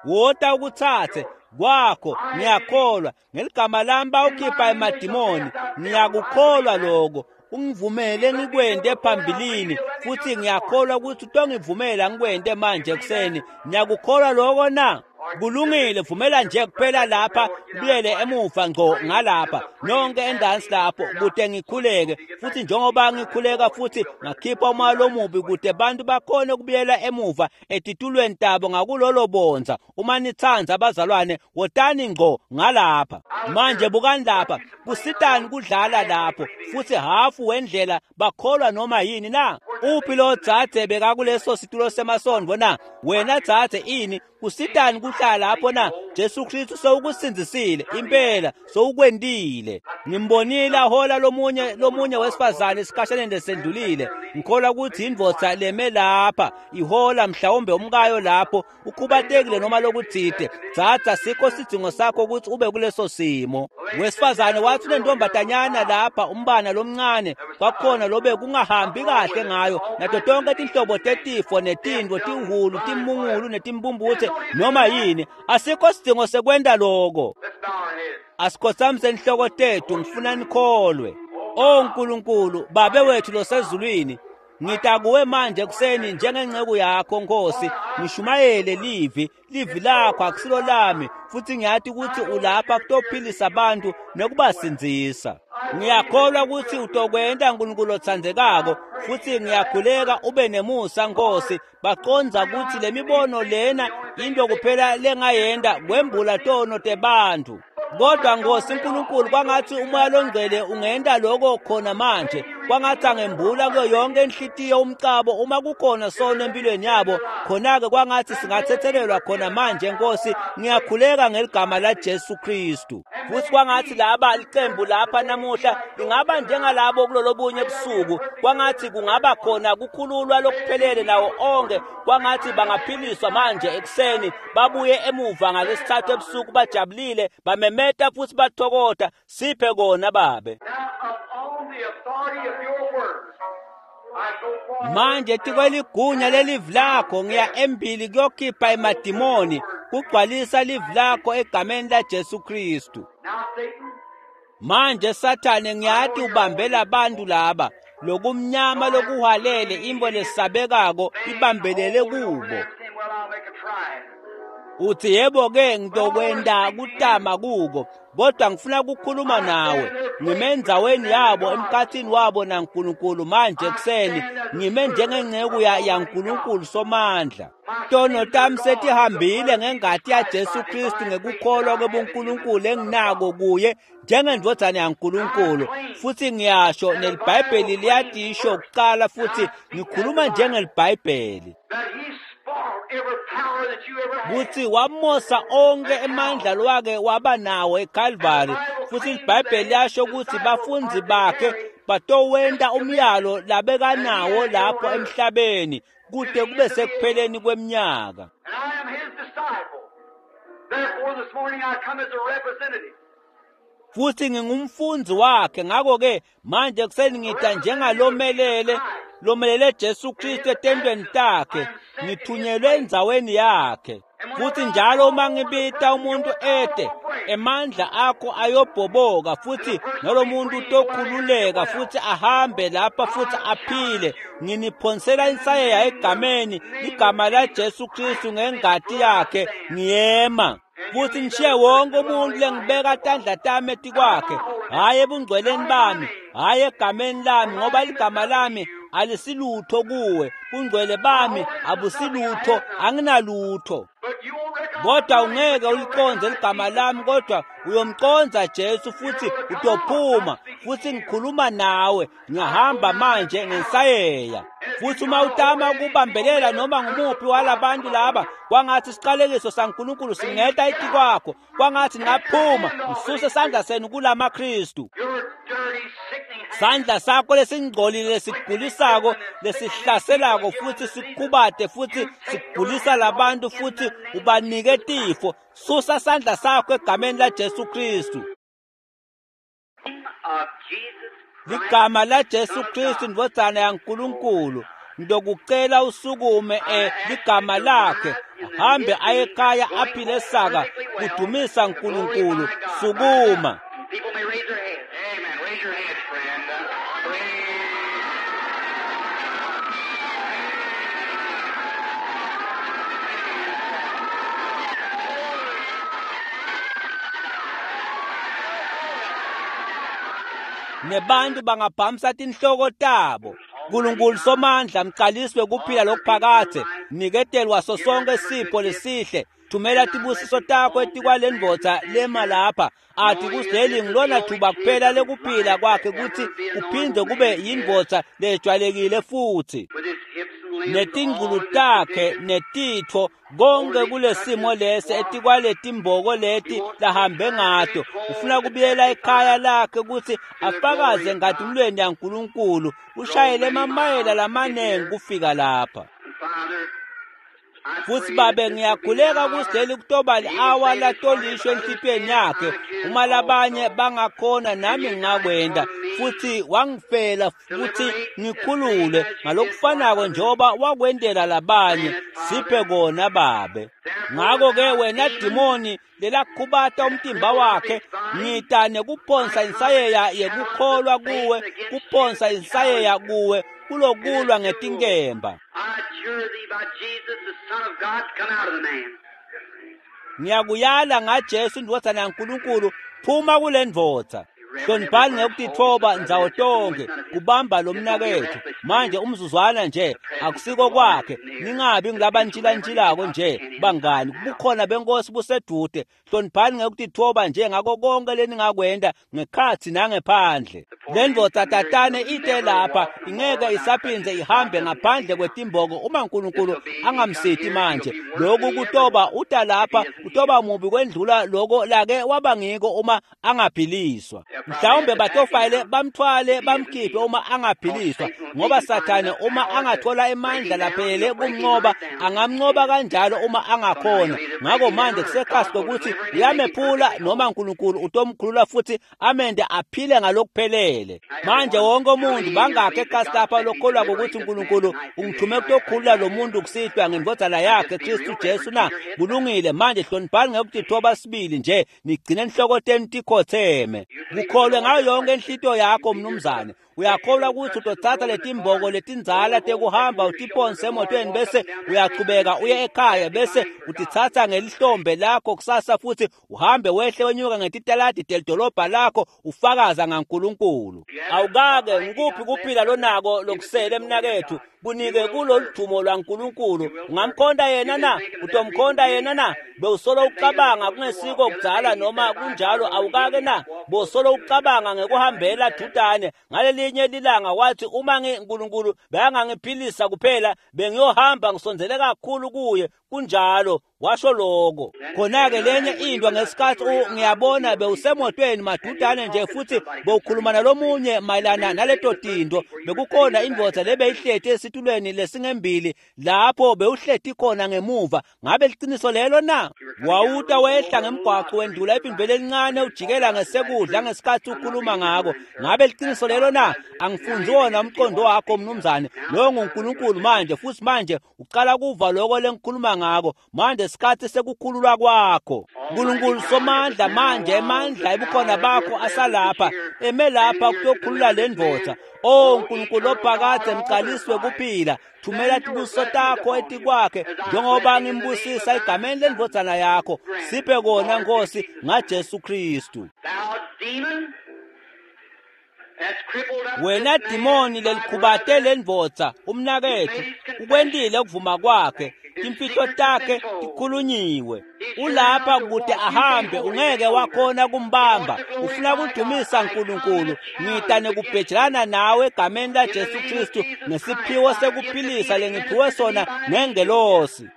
Wota ukuthathe kwakho. Ngiyakholwa ngeligama lami bawukhipha emadimoni. Ngiyakukholwa lokho. Ungivumele ngikwente phambilini, futhi ngiyakholwa ukuthi utongivumela ngikwente manje ekuseni. Ngiyakukholwa lokho na? Kulungile, vumela nje kuphela lapha, kubuyele emuva ngqo ngalapha, nonke endansi lapho, kude ngikhuleke. Futhi njengoba ngikhuleka futhi ngakhipha umoya lomubi, kude bantu bakhone ukubuyela emuva etitulweni tabo ngakulolo bonza. Uma nithanda abazalwane, wotani ngqo ngalapha. Manje bukani lapha, kusitani kudlala lapho, futhi hafu wendlela bakholwa noma yini na? Uphi lo dzadze bekakuleso situlo semasondvo na? Wena dzadze, ini kusitani kuhlala lapho na? Jesu Kristu sewukusindzisile impela, sewukwentile. Ngimbonile ahola lomunye wesifazane esikhashaneni lesendlulile. Ngikholwa ukuthi indvodza leme lapha ihola mhlawumbe umkayo lapho, ukhubatekile noma lokuthite. Dzadza, sikho sidzingo sakho ukuthi ube kuleso simo. Wesifazane wathi unentombatanyana lapha, umbana lomncane, kwakhona lobe kungahambi kahle ngayo, nato tonke tinhlobo tetifo netintfo, tihulu, timungulu netimbumbuthe noma yini. Asikho sidingo sekwenta lokho. Asikhothamise inhloko tethu, ngifuna nikholwe. O Nkulunkulu, Babe wethu losezulwini, ngitakuwe manje ekuseni njengenceku yakho Nkosi, ngishumayele livi lakho akusilo lami, futhi ngiyathi ukuthi ulapha kutophilisa abantu nekubasindzisa. Ngiyakholwa ukuthi utokwenta Nkulunkulu otsandzekako, futhi ngiyakhuleka ube nemusa Nkosi. Baqondza ukuthi lemibono lena Into kuphela lengayenda kwembula tono tebantfu. Kodwa Nkosi uNkulunkulu, kwangathi umoya longcwele ungenta lokho khona manje. Kwangathi angembula kuyo yonke inhlitiyo umcabo uma kukhona sono empilweni yabo. Khona-ke kwangathi singathethelelwa khona manje Nkosi. Ngiyakhuleka ngeligama la Jesu Kristu. Futhi kwangathi laba licembu lapha namuhla lingaba njengalabo kulolobunye ebusuku. Kwangathi kungaba khona kukhululwa lokuphelele nawo onke. Kwangathi bangaphiliswa manje ekuseni, babuye emuva ngalesithathu ebusuku bajabulile, bamemeta futhi bathokota. Siphe kona Babe. Manje tikweligunya lelivi lakho ngiya embili kuyokhipha emadimoni, kugcwalisa livi lakho egameni la Jesu Kristu. Manje Sathane, ngiyati ubambela abantu laba lokumnyama lokuhwalele imbo lesabekako ibambelele kubo. Uthi yebo ke ngitokwenda kutama kuko, kodwa ngifuna ukukhuluma nawe. Ngime endzaweni yabo, emkhathini wabo naNkulunkulu manje ekuseni. Ngime njengenceku yaNkulunkulu Somandla. Tono tami setihambile ngengati yaJesu Kristu ngekukholwa kwebuNkulunkulu enginako kuye njengendvodzana yaNkulunkulu. Futhi ngiyasho neliBhayibheli liyatisho kuqala, futhi ngikhuluma njengelibhayibheli kutsi wamosa onke emandla lwake waba nawo eCalvary. Futhi iBhayibheli liyasho ukuthi bafundzi bakhe batowenta umyalo labekanawo lapho emhlabeni kude kube sekupheleni kweminyaka. Futhi ngingumfundzi wakhe, ngakho-ke manje ekuseni ngita njengalomelele lomelele Jesu Kristu etentweni takhe, ngithunyelwe endzaweni yakhe. Futhi njalo uma ngibita umuntu ete, emandla akho ayobhoboka, futhi nalomuntu utokhululeka futhi ahambe lapha futhi aphile. Nginiphonsela insayeya egameni igama la Jesu Kristu ngengati yakhe ngiyema. Futhi ngishiye wonke umuntu lengibeka tandla tami etikwakhe, hhayi ebungcweleni bami, hhayi egameni lami, ngoba ligama lami alisilutho kuwe, bungcwele bami abusilutho, anginalutho. Kodwa ungeke uliconze ligama lami, kodwa uyomconza Jesu futhi utophuma. Futhi ngikhuluma nawe, ngihamba manje ngensayeya. Futhi uma utama ukubambelela noma ngumuphi walabantu laba, kwangathi isiqalekiso saNkulunkulu singeta etikwakho. Kwangathi ningaphuma ngisuse sandla senu kulamaKristu. Sandla sakho lesingcolile lesikugulisako lesihlaselako futhi sikubate futhi sikugulisa labantu futhi ubanike tifo. Susa sandla sakho egameni la Jesu Kristu. Ligama la Jesu Kristu indvodzana yaNkulunkulu. Ndokucela usukume ligama lakhe, hambe aye ekhaya aphile saka kudumisa uNkulunkulu. Sukuma. People may raise their hands. Amen. Raise your hands, friend. Praise. Nebantu bangabhamisa tinhloko tabo. Nkulunkulu Somandla, mqaliswe kuphila lokuphakathe, niketelwa so sonke sipho lesihle. Thumela tibusiso takho etikwalendvodza lema lapha. Athi kuzeli ngilona thuba kuphela lekuphila kwakhe kuthi kuphinde kube yindvodza lejwayelekile futhi. Netingculu takhe netitfo konke kulesimo lesi etikwaletimboko leti lahambe ngato. Ufuna kubuyela ekhaya lakhe ukuthi afakaze ngatimlweni yaNkulunkulu. Ushayele emamayela lamanengi kufika lapha. Futhi Babe, ngiyakhuleka kusileli kutoba li-awa latolisho enhlitiyweni yakhe. Uma labanye bangakhona nami ngingakwenda. Futhi wangifela futhi ngikhulule ngalokufanako njengoba wakwendela labanye. Siphe kona Babe. Ngakho-ke wena dimoni lelakhubata umtimba wakhe, ngita nekuphonsa insayeya yekukholwa kuwe, kuphonsa insayeya kuwe kulokulwa ngetinkemba. Ngiyakuyala ngaJesu indvodzana yaNkulunkulu, phuma kule ndvodza. Hloniphani ngekutitfoba ndzawo tonkhe kubamba lo mnaketfu. Manje umzuzwana nje akusiko kwakhe, ningabi ngilabantshilantshilako nje bangani. Bukhona benkosi busedude. Hloniphani ngekutitfoba nje ngako konke leningakwenta ngekhatsi nangephandle. Le ndvodza tatane ite lapha ingeke isaphindze ihambe ngaphandle kwetimboko uma uNkulunkulu angamsiti manje. Lokhu kutoba uta lapha utoba mubi kwendlula loko lake waba ngiko uma angaphiliswa. Mhlawumbe batofayele bamthwale bamkhiphe uma angaphiliswa, ngoba Sathane uma angathola emandla laphelele kumncoba angamncoba kanjalo uma angakhona. Ngako manje kusekhasi kokuthi uyamephula noma uNkulunkulu utomkhulula futhi amende aphile ngalokuphelele. Manje wonke umuntu bangakhe ekhasi lapha lokholwa ukuthi uNkulunkulu ungithume kutokhulula lo muntu kusihlwa ngendvodzana yakhe Kristu Jesu na? Kulungile. Manje hloniphani ngekutitfoba sibili nje, nigcine inhloko tenu tikhotheme. Kukholwe ngayo yonke inhlitiyo yakho mnumzane. Uyakholwa ukuthi utotsatsa letimboko letindzala tekuhamba utiphonse emotweni bese uyachubeka uye ekhaya, bese utitsatsa ngelihlombe lakho kusasa futhi uhambe wehle wenyuka ngetitaladi telidolobha lakho ufakaza ngaNkulunkulu. Awukake ngikuphi kuphila lonako lokusele mnaketfu? Kunike kuloludumo lwaNkulunkulu. Ungamkhonta yena na? Utomkhonta yena na? Bewusolo ucabanga kungesiko kudzala noma kunjalo, awukake na? Bosolo ucabanga ngekuhambela dudane ngalelinye lilanga wathi uma ngiNkulunkulu bekangangiphilisa kuphela bengiyohamba ngisondzele kakhulu kuye. Kunjalo, washo lokho. Khona-ke lenye into ngesikhathi ngiyabona bewusemotweni madudane nje futhi bewukhuluma nalomunye mayelana naleto tinto. Bekukhona indvodza lebeyihleti esitulweni lesingembili lapho bewuhleti khona ngemuva. Ngabe liciniso lelo na? Wawuta wehla ngemgwaqo wendlula iphimbele elincane ujikela ngesekudla ngesikhathi ukhuluma ngako. Ngabe liciniso lelo na? Angifundzi wona umqondo wakho mnumzane. Lowo nguNkulunkulu manje, futhi manje uqala kuva lokho lengikhuluma ngako. Manje isikhathi sekukhululwa kwakho. Nkulunkulu somandla, manje emandla ebukhona bakho asalapha, eme lapha kutokhulula le ndvodza. O Nkulunkulu ophakadze, mqaliswe kuphila, thumela tibusiso takho etikwakhe njengoba ngimbusisa egameni lendvodzana yakho. Siphe kona Nkosi ngaJesu Kristu. Wena dimoni lelikhubate lendvodza umnaketfu, ukwentile ukuvuma kwakhe, timfihlo takhe tikhulunyiwe. Ulapha kude ahambe, ungeke wakhona kumbamba. Ufuna kudumisa uNkulunkulu. Ngita nekubhejelana nawe egameni laJesu Kristu ngesiphiwo sekuphilisa lengiphiwe sona ngengelosi.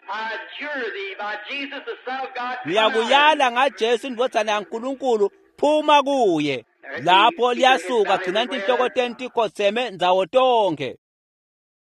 Ngiyakuyala ngaJesu indvodzana yaNkulunkulu, phuma kuye. Lapho liyasuka, gcina tinhloko tenu tikhotseme ndzawo tonkhe.